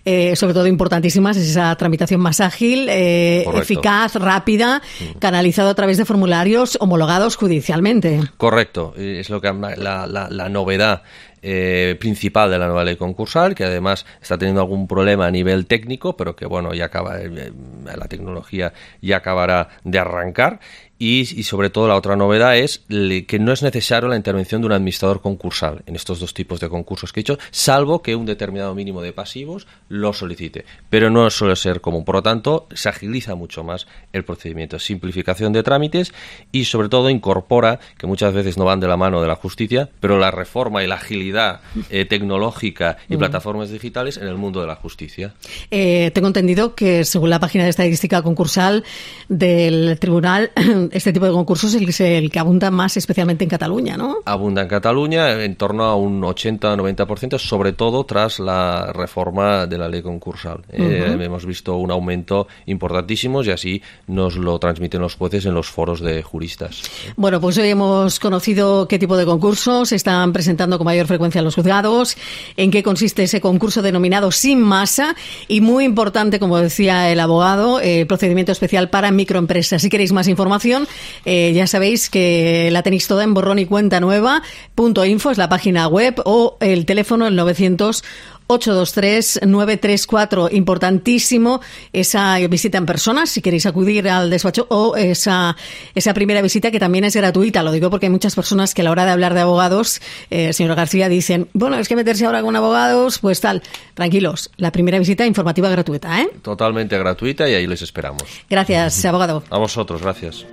eh, sobre todo importantísimas, es esa tramitación más ágil, eh, eficaz, rápida, canalizado a través de formularios homologados judicialmente. Correcto, es lo que la, la, la novedad eh, principal de la nueva ley concursal, que además está teniendo algún problema a nivel técnico, pero que bueno, ya acaba, eh, la tecnología ya acabará de arrancar. Y, y sobre todo la otra novedad es le, que no es necesario la intervención de un administrador concursal en estos dos tipos de concursos que he dicho, salvo que un determinado mínimo de pasivos lo solicite. Pero no suele ser común. Por lo tanto, se agiliza mucho más el procedimiento. Simplificación de trámites y sobre todo incorpora, que muchas veces no van de la mano de la justicia, pero la reforma y la agilidad eh, tecnológica y mm. plataformas digitales en el mundo de la justicia. Eh, tengo entendido que según la página de estadística concursal del tribunal, este tipo de concursos es el que abunda más especialmente en Cataluña, ¿no? Abunda en Cataluña en torno a un ochenta a noventa por ciento, sobre todo tras la reforma de la ley concursal. Uh-huh. Eh, hemos visto un aumento importantísimo y así nos lo transmiten los jueces en los foros de juristas. Bueno, pues hoy hemos conocido qué tipo de concursos se están presentando con mayor frecuencia en los juzgados, en qué consiste ese concurso denominado sin masa y, muy importante, como decía el abogado, el procedimiento especial para microempresas. Si queréis más información, Eh, ya sabéis que la tenéis toda en borrón y cuenta nueva punto info, es la página web, o el teléfono el novecientos, ocho dos tres nueve tres cuatro. Importantísimo esa visita en persona, si queréis acudir al despacho, o esa, esa primera visita que también es gratuita. Lo digo porque hay muchas personas que a la hora de hablar de abogados, eh, señor García, dicen, bueno, es que meterse ahora con abogados, pues tal. Tranquilos, la primera visita informativa gratuita, ¿eh? Totalmente gratuita y ahí les esperamos. Gracias, abogado. A vosotros, gracias.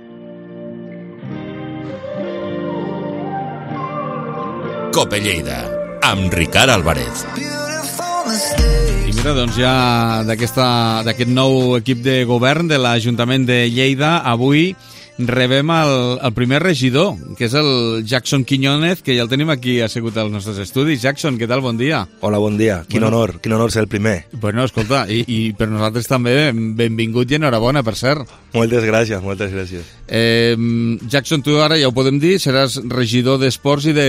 Cope Lleida, amb Ricard Álvarez. I mira, doncs ja d'aquest nou equip de govern de l'Ajuntament de Lleida, avui rebem el, el primer regidor, que és el Jackson Quiñónez, que ja el tenim aquí assegut als nostres estudis. Jackson, què tal? Bon dia. Hola, bon dia. Quin bueno, honor, quin honor ser el primer. Bueno, escolta, i, i per nosaltres també benvingut i enhorabona, per cert. Moltes gràcies, moltes gràcies. Eh, Jackson, tu ara ja ho podem dir, seràs regidor d'Esports i de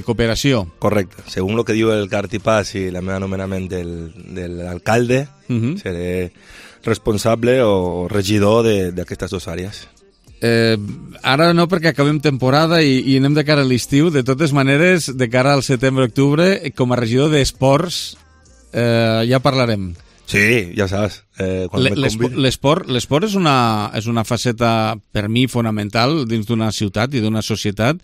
Cooperació. Correcte. Según lo que diu el cartipàs i la meva nomenament del, de l'alcalde, uh-huh. seré responsable o regidor d'aquestes dues àrees. Eh, ara no, perquè acabem temporada i, i anem de cara a l'estiu. De totes maneres, de cara al setembre-octubre, com a regidor d'esports, eh, ja parlarem. Sí, ja saps. Eh, L'esport l'esport és, una, és una faceta, per mi, fonamental dins d'una ciutat i d'una societat,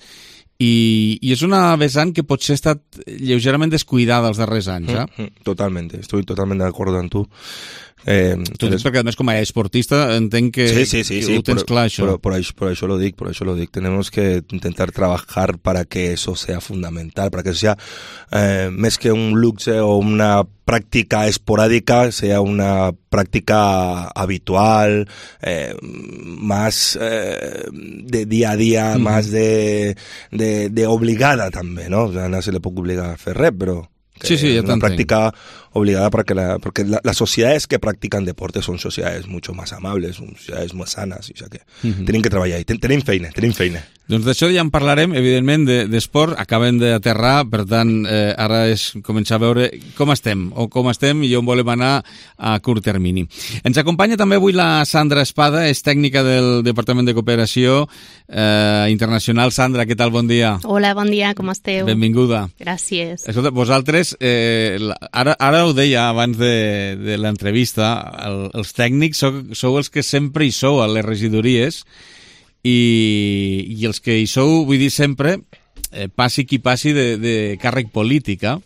i, i és una vessant que potser ha estat lleugerament descuidada els darrers anys. Eh? Mm, mm, totalment, estic totalment d'acord amb tu. Eh, tu dius perquè, a més, com a esportista, entenc que, sí, sí, sí, que sí, ho tens por, clar, això. Por, por, por eso lo digo, por eso lo digo. Tenemos que intentar trabajar para que eso sea fundamental, para que eso sea eh, más que un luxe o una práctica esporádica, sea una práctica habitual, eh, más eh, de día a día, mm. más de, de, de obligada también, ¿no? O sea, no se le puede obligar a fer res, pero... Sí, sí, es una práctica obligada para que la, porque la, las sociedades que practican deporte son sociedades mucho más amables, son sociedades más sanas, o sea que uh-huh. tienen que treballar i ten, tenim feina, tenim feina. Doncs d'això ja en parlarem, evidentment, d'esport. De, Acabem d'aterrar, per tant, eh, ara és començar a veure com estem, o com estem i on volem anar a curt termini. Ens acompanya també avui la Sandra Espada, és tècnica del Departament de Cooperació eh, Internacional. Sandra, què tal? Bon dia. Hola, bon dia, com esteu? Benvinguda. Gràcies. Escolta, vosaltres, eh, ara, ara ho deia abans de, de l'entrevista, el, els tècnics sou, sou els que sempre hi sou a les regidories, i, i els que hi sou, vull dir sempre, eh, passi qui passi de, de càrrec política.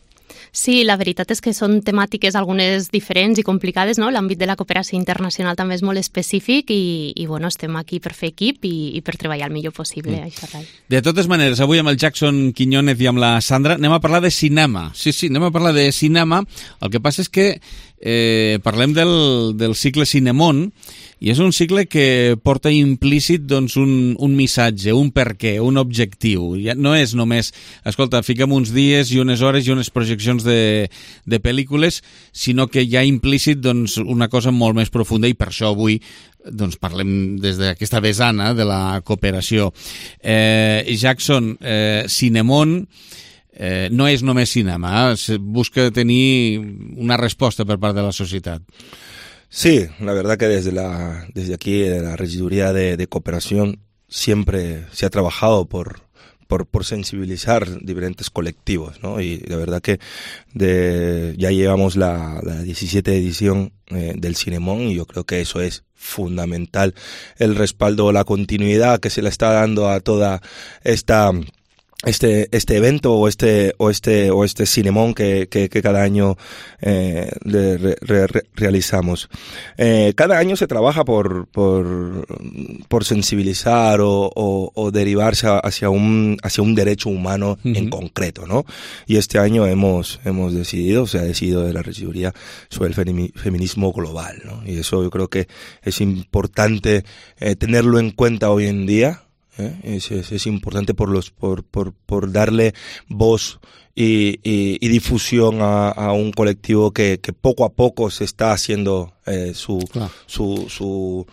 Sí, la veritat és que són temàtiques algunes diferents i complicades, no? L'àmbit de la cooperació internacional també és molt específic i, i bueno, estem aquí per fer equip i, i per treballar el millor possible. Mm. Això, rai. De totes maneres, avui amb el Jackson Quiñónez i amb la Sandra anem a parlar de cinema. Sí, sí, anem a parlar de cinema. El que passa és que eh, parlem del, del cicle Cinemón, i és un cicle que porta implícit doncs, un, un missatge, un perquè, un objectiu. Ja no és només, escolta, fiquem uns dies i unes hores i unes projeccions de, de pel·lícules, sinó que hi ha implícit doncs, una cosa molt més profunda, i per això avui doncs, parlem des d'aquesta vessana de la cooperació. Eh, Jackson, eh, Cinemón eh, no és només cinema, eh? Busca tenir una resposta per part de la societat. Sí, la verdad que desde la desde aquí, de la regiduría de, de cooperación, siempre se ha trabajado por, por, por sensibilizar diferentes colectivos, ¿no? Y la verdad que de, ya llevamos la, la diecisiete edición eh, del Cinemón, y yo creo que eso es fundamental, el respaldo, la continuidad que se le está dando a toda esta... este este evento o este o este o este Cinemón que, que, que cada año eh, re, re, re, realizamos. Eh, cada año se trabaja por por por sensibilizar o, o, o derivarse hacia un hacia un derecho humano uh-huh. en concreto, ¿no? Y este año hemos hemos decidido, se ha decidido de la regiduría sobre el feminismo global, ¿no? Y eso yo creo que es importante eh, tenerlo en cuenta hoy en día. ¿Eh? Es, es, es importante por los por, por, por darle voz y, y, y difusión a, a un colectivo que, que poco a poco se está haciendo eh, su, claro. su, su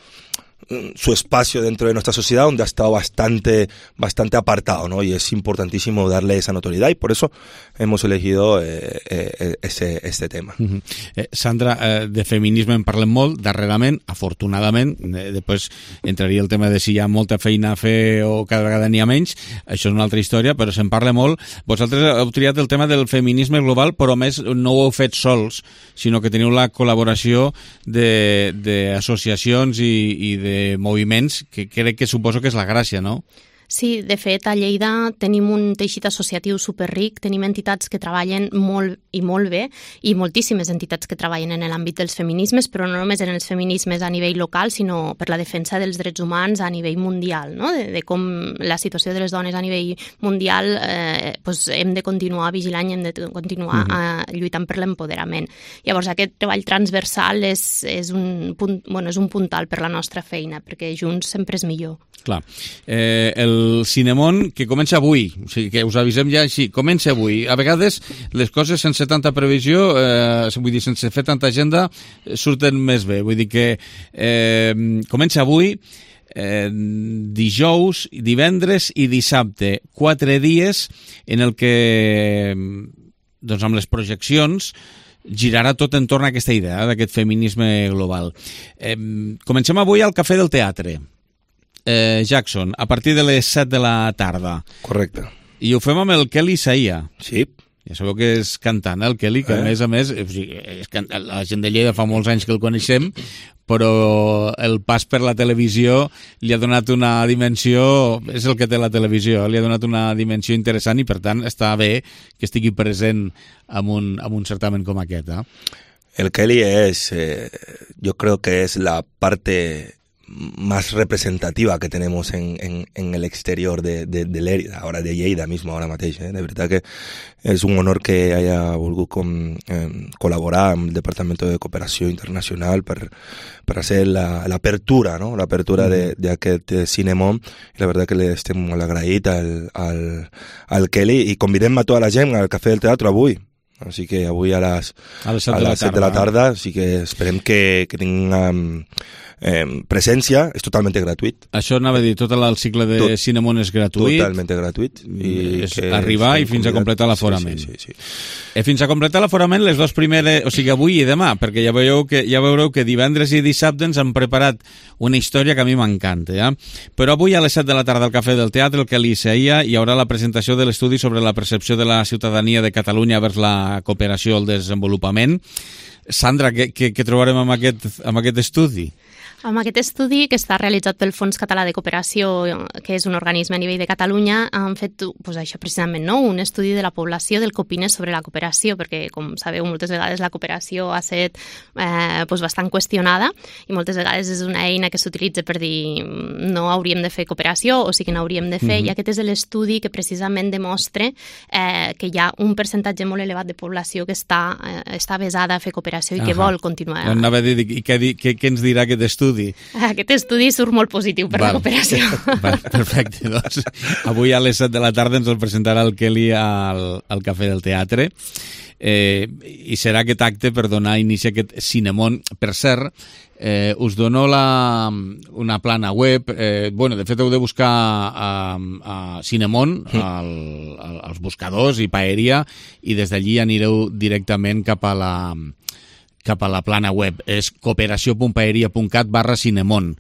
su espacio dentro de nuestra sociedad, donde ha estado bastante, bastante apartado, ¿no? Y es importantísimo darle esa notoriedad y por eso hemos elegido eh, eh, ese, este tema. Uh-huh. eh, Sandra, eh, de feminisme en parlem molt, darrerament, afortunadament, eh, després entraria el tema de si hi ha molta feina a fer o cada vegada n'hi ha menys, això és una altra història, però se'n parla molt. Vosaltres heu triat el tema del feminisme global, però més no ho heu fet sols, sinó que teniu la col·laboració d'associacions i, i de moviments, que crec que suposo que és la gràcia, no? Sí, de fet, a Lleida tenim un teixit associatiu superric, tenim entitats que treballen molt i molt bé i moltíssimes entitats que treballen en l'àmbit dels feminismes, però no només en els feminismes a nivell local, sinó per la defensa dels drets humans a nivell mundial, no? de, de com la situació de les dones a nivell mundial eh, pues hem de continuar vigilant i hem de continuar uh-huh. eh, lluitant per l'empoderament. Llavors, aquest treball transversal és, és, un punt, bueno, és un puntal per la nostra feina, perquè junts sempre és millor. Clar. Eh, el Cinemón, que comença avui, o sigui que us avisem ja així, comença avui. A vegades les coses sense tanta previsió, eh, vull dir, sense fer tanta agenda, surten més bé. Vull dir que eh, comença avui, eh, dijous, divendres i dissabte. Quatre dies en el que, doncs amb les projeccions, girarà tot entorn a aquesta idea d'aquest feminisme global. Eh, comencem avui al Cafè del Teatre. Eh, Jackson, a partir de les set de la tarda. Correcte. I ho fem amb el Kelly Isaia. Sí. Ja sabeu que és cantant, el Kelly, que eh? a més a més, o sigui, és can... la gent de Lleida fa molts anys que el coneixem, però el pas per la televisió li ha donat una dimensió, és el que té la televisió, li ha donat una dimensió interessant i per tant està bé que estigui present en un, en un certamen com aquest. Eh? El Kelly es, eh, yo creo que es la parte más representativa que tenemos en, en, en el exterior de, de, de Lérida, ahora de Lleida mismo, ahora mateix. Eh? De verdad que es un honor que haya volgut com, eh, col·laborar amb el Departamento de Cooperació Internacional per, per hacer la, la apertura, ¿no? La apertura mm. d'aquest Cinemón. I la verdad que le estem molt agraït al, al, al Kelly i convidem a tota la gent al Cafè del Teatre avui. Així que avui a les, a les set, a de, la les set de la tarda, així que esperem que, que tinguem eh, presència, és totalment gratuït. Això anava a dir, tot el cicle de tot, Cinemón és gratuït. Totalment gratuït. I és arribar i fins a completar l'aforament. Sí, sí, sí, sí. Eh, fins a completar l'aforament les dues primeres, o sigui, avui i demà, perquè ja veureu que, ja veureu que divendres i dissabte ens han preparat una història que a mi m'encanta. Ja? Però avui a les set de la tarda al Cafè del Teatre, el Kelly Isaia, hi haurà la presentació de l'estudi sobre la percepció de la ciutadania de Catalunya vers la cooperació al desenvolupament. Sandra, què, què, què trobarem amb aquest, amb aquest estudi? Amb aquest estudi, que està realitzat pel Fons Català de Cooperació, que és un organisme a nivell de Catalunya, han fet pues, això precisament, no? Un estudi de la població del que opina sobre la cooperació, perquè, com sabeu, moltes vegades la cooperació ha estat eh, pues, bastant qüestionada i moltes vegades és una eina que s'utilitza per dir no hauríem de fer cooperació o sí que n'hauríem de fer, mm-hmm. i aquest és l'estudi que precisament demostra eh, que hi ha un percentatge molt elevat de població que està, eh, està avesada a fer cooperació i que uh-huh. vol continuar. Anava a dir, i què, què, què ens dirà aquest estudi? Aquest estudi surt molt positiu per Val. La cooperació. Val, perfecte, doncs avui a les set de la tarda ens el presentarà el Kelly al, al Cafè del Teatre eh, i serà aquest acte per donar inici a aquest Cinemón. Per cert, eh, us dono la, una plana web, eh, bueno, de fet heu de buscar a, a Cinemón al, al, als buscadors i Paeria i des d'allí anireu directament cap a la cap a la plana web. És cooperació.paeria.cat barra Cinemón.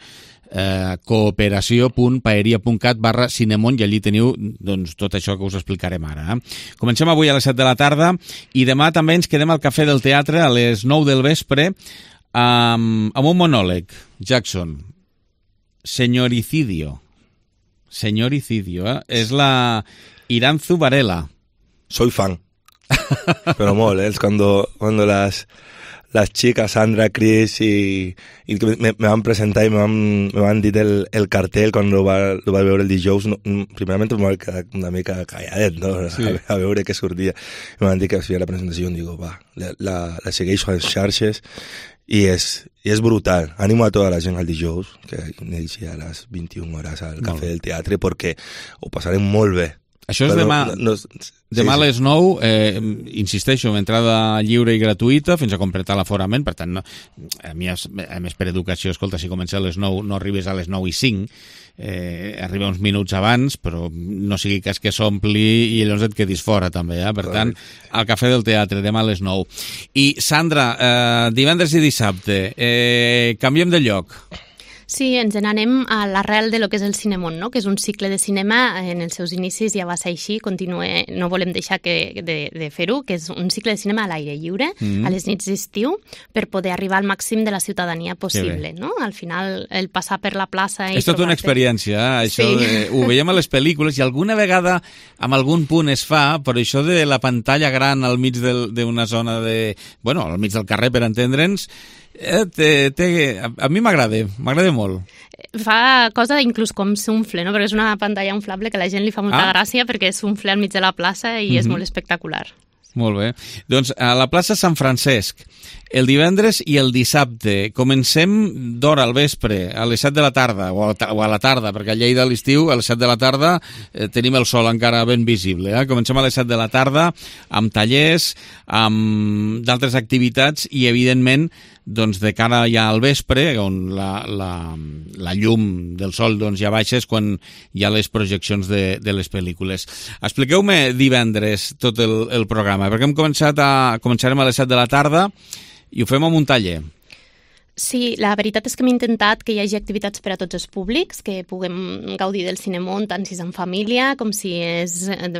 Eh, cooperació.paeria.cat barra Cinemón i allí teniu doncs, tot això que us explicarem ara. Eh? Comencem avui a les set de la tarda i demà també ens quedem al Cafè del Teatre a les nou del vespre amb, amb un monòleg. Jackson, Señoricidio. Señoricidio, eh? És la Iranzu Varela. Soy fan. Pero molt, eh? Es cuando, cuando las... las chicas, Sandra, Chris, y, y me, me van presentar y me van, me van dir el, el cartel quan lo va, lo va veure el dijous. No, primerament em va quedar una mica calladet, no? Sí. A, a veure què sortia. Me van dir que feia la presentació i digo, va, la, la, la segueixo a les xarxes i és, i és brutal. Animo a tota la gent al dijous, que iniciarà a les vint-i-una hores al Cafè del Teatre, perquè ho passarem molt bé. Això és Però demà, no, no, sí, demà a sí. les nou, eh, insisteixo, entrada lliure i gratuïta fins a completar l'aforament, per tant, no, a mi, a més per educació, escolta, si comença a les nou, no arribes a les nou i cinc, eh, arriba uns minuts abans, però no sigui cas que s'ompli i llavors et quedis fora també, eh? Per tant, al Cafè del Teatre, demà a les nou. I Sandra, eh, divendres i dissabte, eh, canviem de lloc. Sí, ens n'anem a l'arrel de lo que és el Cinemón, no? Que és un cicle de cinema, en els seus inicis ja va ser així, continue, no volem deixar que, de, de fer-ho, que és un cicle de cinema a l'aire lliure, mm-hmm. a les nits d'estiu, per poder arribar al màxim de la ciutadania possible, no? Al final, el passar per la plaça... I és tota una experiència, eh? Això sí. de, ho veiem a les pel·lícules i alguna vegada amb algun punt es fa, però això de la pantalla gran al mig d'una zona de... Bueno, al mig del carrer, per entendre'ns, Eh, te, te, a, a mi m'agrada, m'agrada molt. Fa cosa inclús com s'unfle, no? Perquè és una pantalla inflable que a la gent li fa molta ah. gràcia perquè s'unfle al mig de la plaça i mm-hmm. és molt espectacular. Molt bé. Doncs a la plaça Sant Francesc, el divendres i el dissabte. Comencem d'hora al vespre, a les set de la tarda, o a, o a la tarda, perquè a Lleida a l'estiu, a les set de la tarda, eh, tenim el sol encara ben visible. Eh? Comencem a les set de la tarda, amb tallers, amb d'altres activitats i, evidentment, doncs de cara ja al vespre, on la, la, la llum del sol doncs, ja baixa, és quan hi ha les projeccions de, de les pel·lícules. Expliqueu-me divendres tot el, el programa, perquè hem començat a, començarem a les set de la tarda i ho fem amb un taller. Sí, la veritat és que hem intentat que hi hagi activitats per a tots els públics, que puguem gaudir del Cinemón tant si és en família, com si és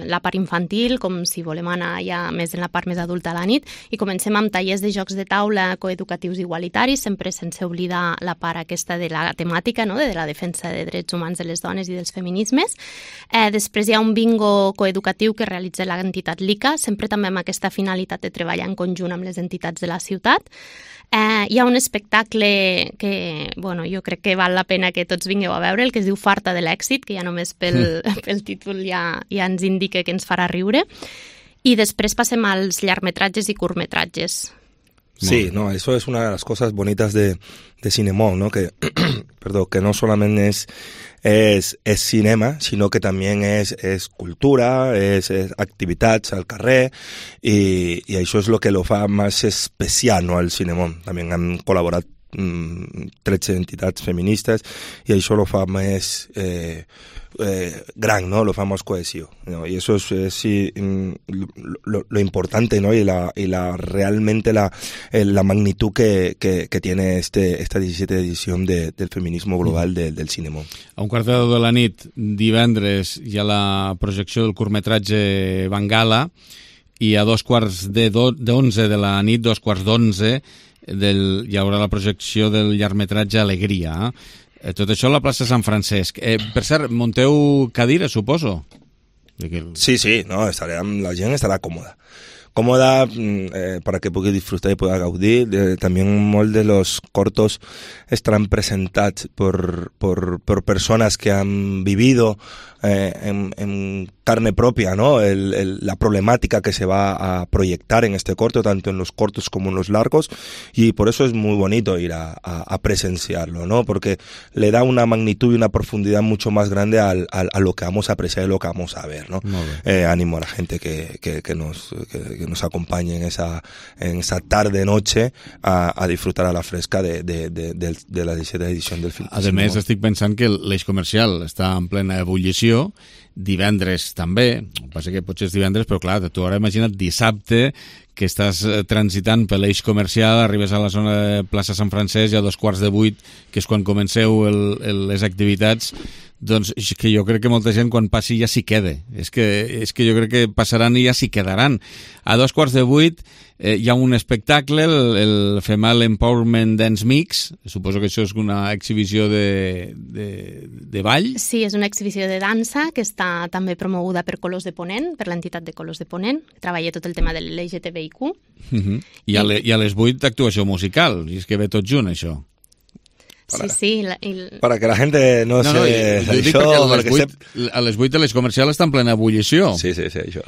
la part infantil, com si volem anar ja més en la part més adulta a la nit, i comencem amb tallers de jocs de taula coeducatius igualitaris, sempre sense oblidar la part aquesta de la temàtica, no? de la defensa de drets humans de les dones i dels feminismes. Eh, després hi ha un bingo coeducatiu que realitza l'entitat l'ICA, sempre també amb aquesta finalitat de treballar en conjunt amb les entitats de la ciutat. Eh, hi ha un espectacle que bueno, jo crec que val la pena que tots vingueu a veure, el que es diu Farta de l'èxit, que ja només pel, pel títol ja, ja ens indica que ens farà riure. I després passem als llargmetratges i curtmetratges. Sí, no, eso es una de las cosas bonitas de, de Cinemón, ¿no? Que, perdón, que no solamente es, es, es cinema, sino que también es, es cultura, es, es activitats al carrer, i, i això és lo que lo fa más especial, no, al Cinemón. También han col·laborat mm, tretze entitats feministes i això lo fa més eh, eh, gran, ¿no? Lo fa más cohesivo, ¿no? Y eso es, es sí, lo, lo importante, ¿no? Y la, y la realmente la, la magnitud que, que, que tiene este, esta diecisiete edición de, del feminismo global de, del Cinemón. A un quart de deu de la nit, divendres, hi ha la projecció del curtmetratge Bengala, i a dos quarts de d'onze de la nit, dos quarts d'onze, del, hi haurà la projecció del llargmetratge Alegria. Eh? Tot això a la plaça Sant Francesc. Eh, per cert, munteu cadires, suposo? Sí, sí, no, estarà, la gent estarà còmoda. Cómoda eh, para que pugui disfrutar y pueda gaudir. De, también molt de los cortos estarán presentats por, por, por personas que han vivido eh, en, en carne propia, ¿no? El, el, la problemática que se va a proyectar en este corto, tanto en los cortos como en los largos, y por eso es muy bonito ir a, a, a presenciarlo, ¿no? Porque le da una magnitud y una profundidad mucho más grande al, al, a lo que vamos a apreciar y lo que vamos a ver, ¿no? Eh, ánimo a la gente que, que, que, nos, que, que nos acompañe en esa, en esa tarde-noche a, a disfrutar a la fresca de, de, de, de, de la diecisiete edició del film. A més, estic pensant que l'eix comercial està en plena ebullició, divendres també, passa que potser és divendres, però clar, tu ara imagina't dissabte que estàs transitant per l'eix comercial, arribes a la zona de plaça Sant Francesc i a dos quarts de vuit, que és quan comenceu el, el, les activitats, doncs que jo crec que molta gent quan passi ja s'hi queda. És que, és que jo crec que passaran i ja s'hi quedaran. A dos quarts de vuit eh, hi ha un espectacle, el, el Female Empowerment Dance Mix, suposo que això és una exhibició de, de, de ball. Sí, és una exhibició de dansa que està també promoguda per Colors de Ponent, per l'entitat de Colors de Ponent, que treballa tot el tema de l'L G T B I Q. Uh-huh. I, a le, I a les vuit actuació musical, i és que ve tot junt, això. Para, sí, sí. La, el... para que la gente no, no se... No, jo, jo dic això, perquè a les vuit, se... a les vuit de les comercials està en plena ebullició. Sí, sí, sí, això.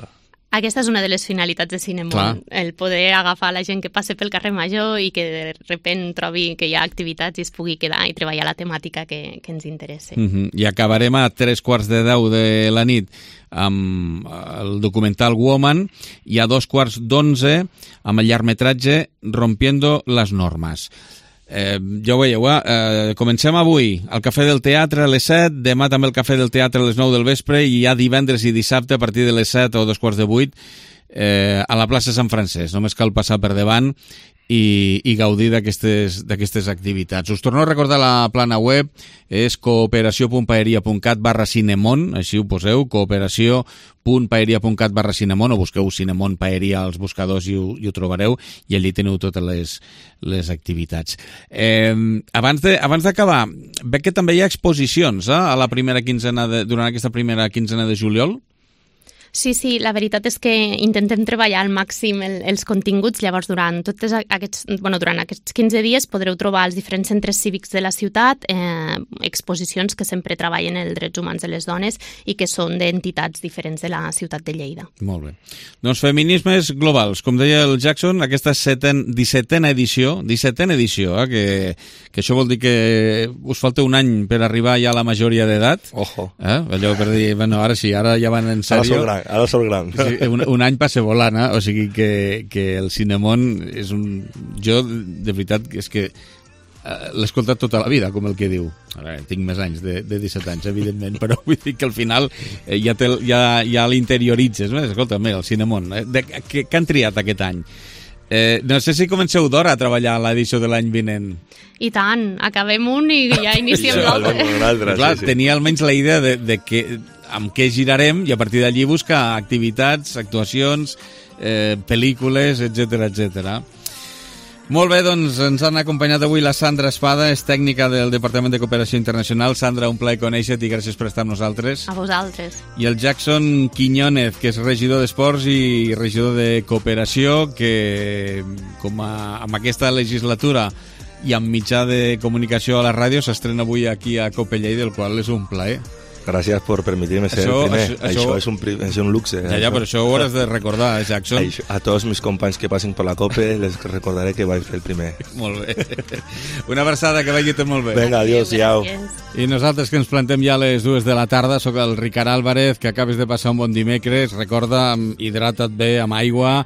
Aquesta és una de les finalitats de Cinemón, Clar. el poder agafar la gent que passe pel carrer Major i que de repent trobi que hi ha activitats i es pugui quedar i treballar la temàtica que, que ens interessa. Uh-huh. I acabarem a tres quarts de deu de la nit amb el documental Woman i a dos quarts d'onze amb el llargmetratge Rompiendo las normas. Eh, ja ho veieu, eh? Comencem avui al Cafè del Teatre a les set, demà també el Cafè del Teatre a les nou del vespre i ja divendres i dissabte a partir de les set o dos quarts de vuit eh, a la plaça Sant Francesc. Només cal passar per davant i, i gaudir d'aquestes d'aquestes activitats. Us torno a recordar la plana web, és cooperació.paeria.cat barra Cinemón, així ho poseu, cooperació.paeria.cat barra Cinemón, o busqueu Cinemón Paeria als buscadors i ho, i ho trobareu, i allí teniu totes les, les activitats. Eh, abans de, abans d'acabar, veig que també hi ha exposicions eh, a la primera quinzena de, durant aquesta primera quinzena de juliol. Sí, sí, la veritat és que intentem treballar al màxim el, els continguts, llavors durant tots aquests, bueno, durant aquests quinze dies podreu trobar als diferents centres cívics de la ciutat eh, exposicions que sempre treballen els drets humans de les dones i que són d'entitats diferents de la ciutat de Lleida. Molt bé. Doncs feminismes globals, com deia el Jackson, aquesta seten, dissetena edició, dissetena edició, eh, que, que això vol dir que us falta un any per arribar ja a la majoria d'edat. Ojo. Eh? Allò per dir, bueno, ara sí, ara ja van en sèrio. Ara sóc gran. Sí, un, un any passa volant, eh? O sigui que, que el Cinemón és un... Jo, de veritat, és que uh, l'he escoltat tota la vida, com el que diu. Ara, tinc més anys, de, de disset anys, evidentment, però vull dir que al final eh, ja, te, ja, ja l'interioritzes. No? Escolta, mira, el Cinemón, eh? de, que, que han triat aquest any? Eh, no sé si comenceu d'hora a treballar a l'edició de l'any vinent. I tant, acabem un i ja iniciem l'altre. Clar, sí, sí. Tenia almenys la idea de, de que amb què girarem i a partir d'allí buscar activitats, actuacions, eh, pel·lícules, etcètera, etcètera. Molt bé, doncs ens han acompanyat avui la Sandra Espada, és tècnica del Departament de Cooperació Internacional. Sandra, un plaer conèixer-te i gràcies per estar amb nosaltres. A vosaltres. I el Jackson Quiñónez, que és regidor d'Esports i regidor de Cooperació, que com a, amb aquesta legislatura i amb mitjà de comunicació a la ràdio s'estrena avui aquí a Cope Lleida, el qual és un plaer. Gràcies per permetir-me ser això, el primer. Això, això, això és, un, és un luxe. Ja, ja, però això ho hauràs de recordar, eh, Jackson. Això, a tots mis companys que passin per la Cope les recordaré que vaig fer el primer. Molt bé. Una abraçada, que vagi tot molt bé. Vinga, adiós, iau. I nosaltres que ens plantem ja a les dues de la tarda, sóc el Ricard Álvarez, que acabes de passar un bon dimecres. Recorda, hidrata't bé amb aigua,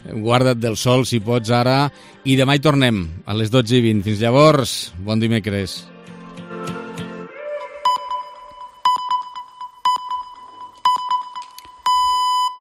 guarda't del sol si pots ara, i demà hi tornem a les dotze i vint. Fins llavors, bon dimecres.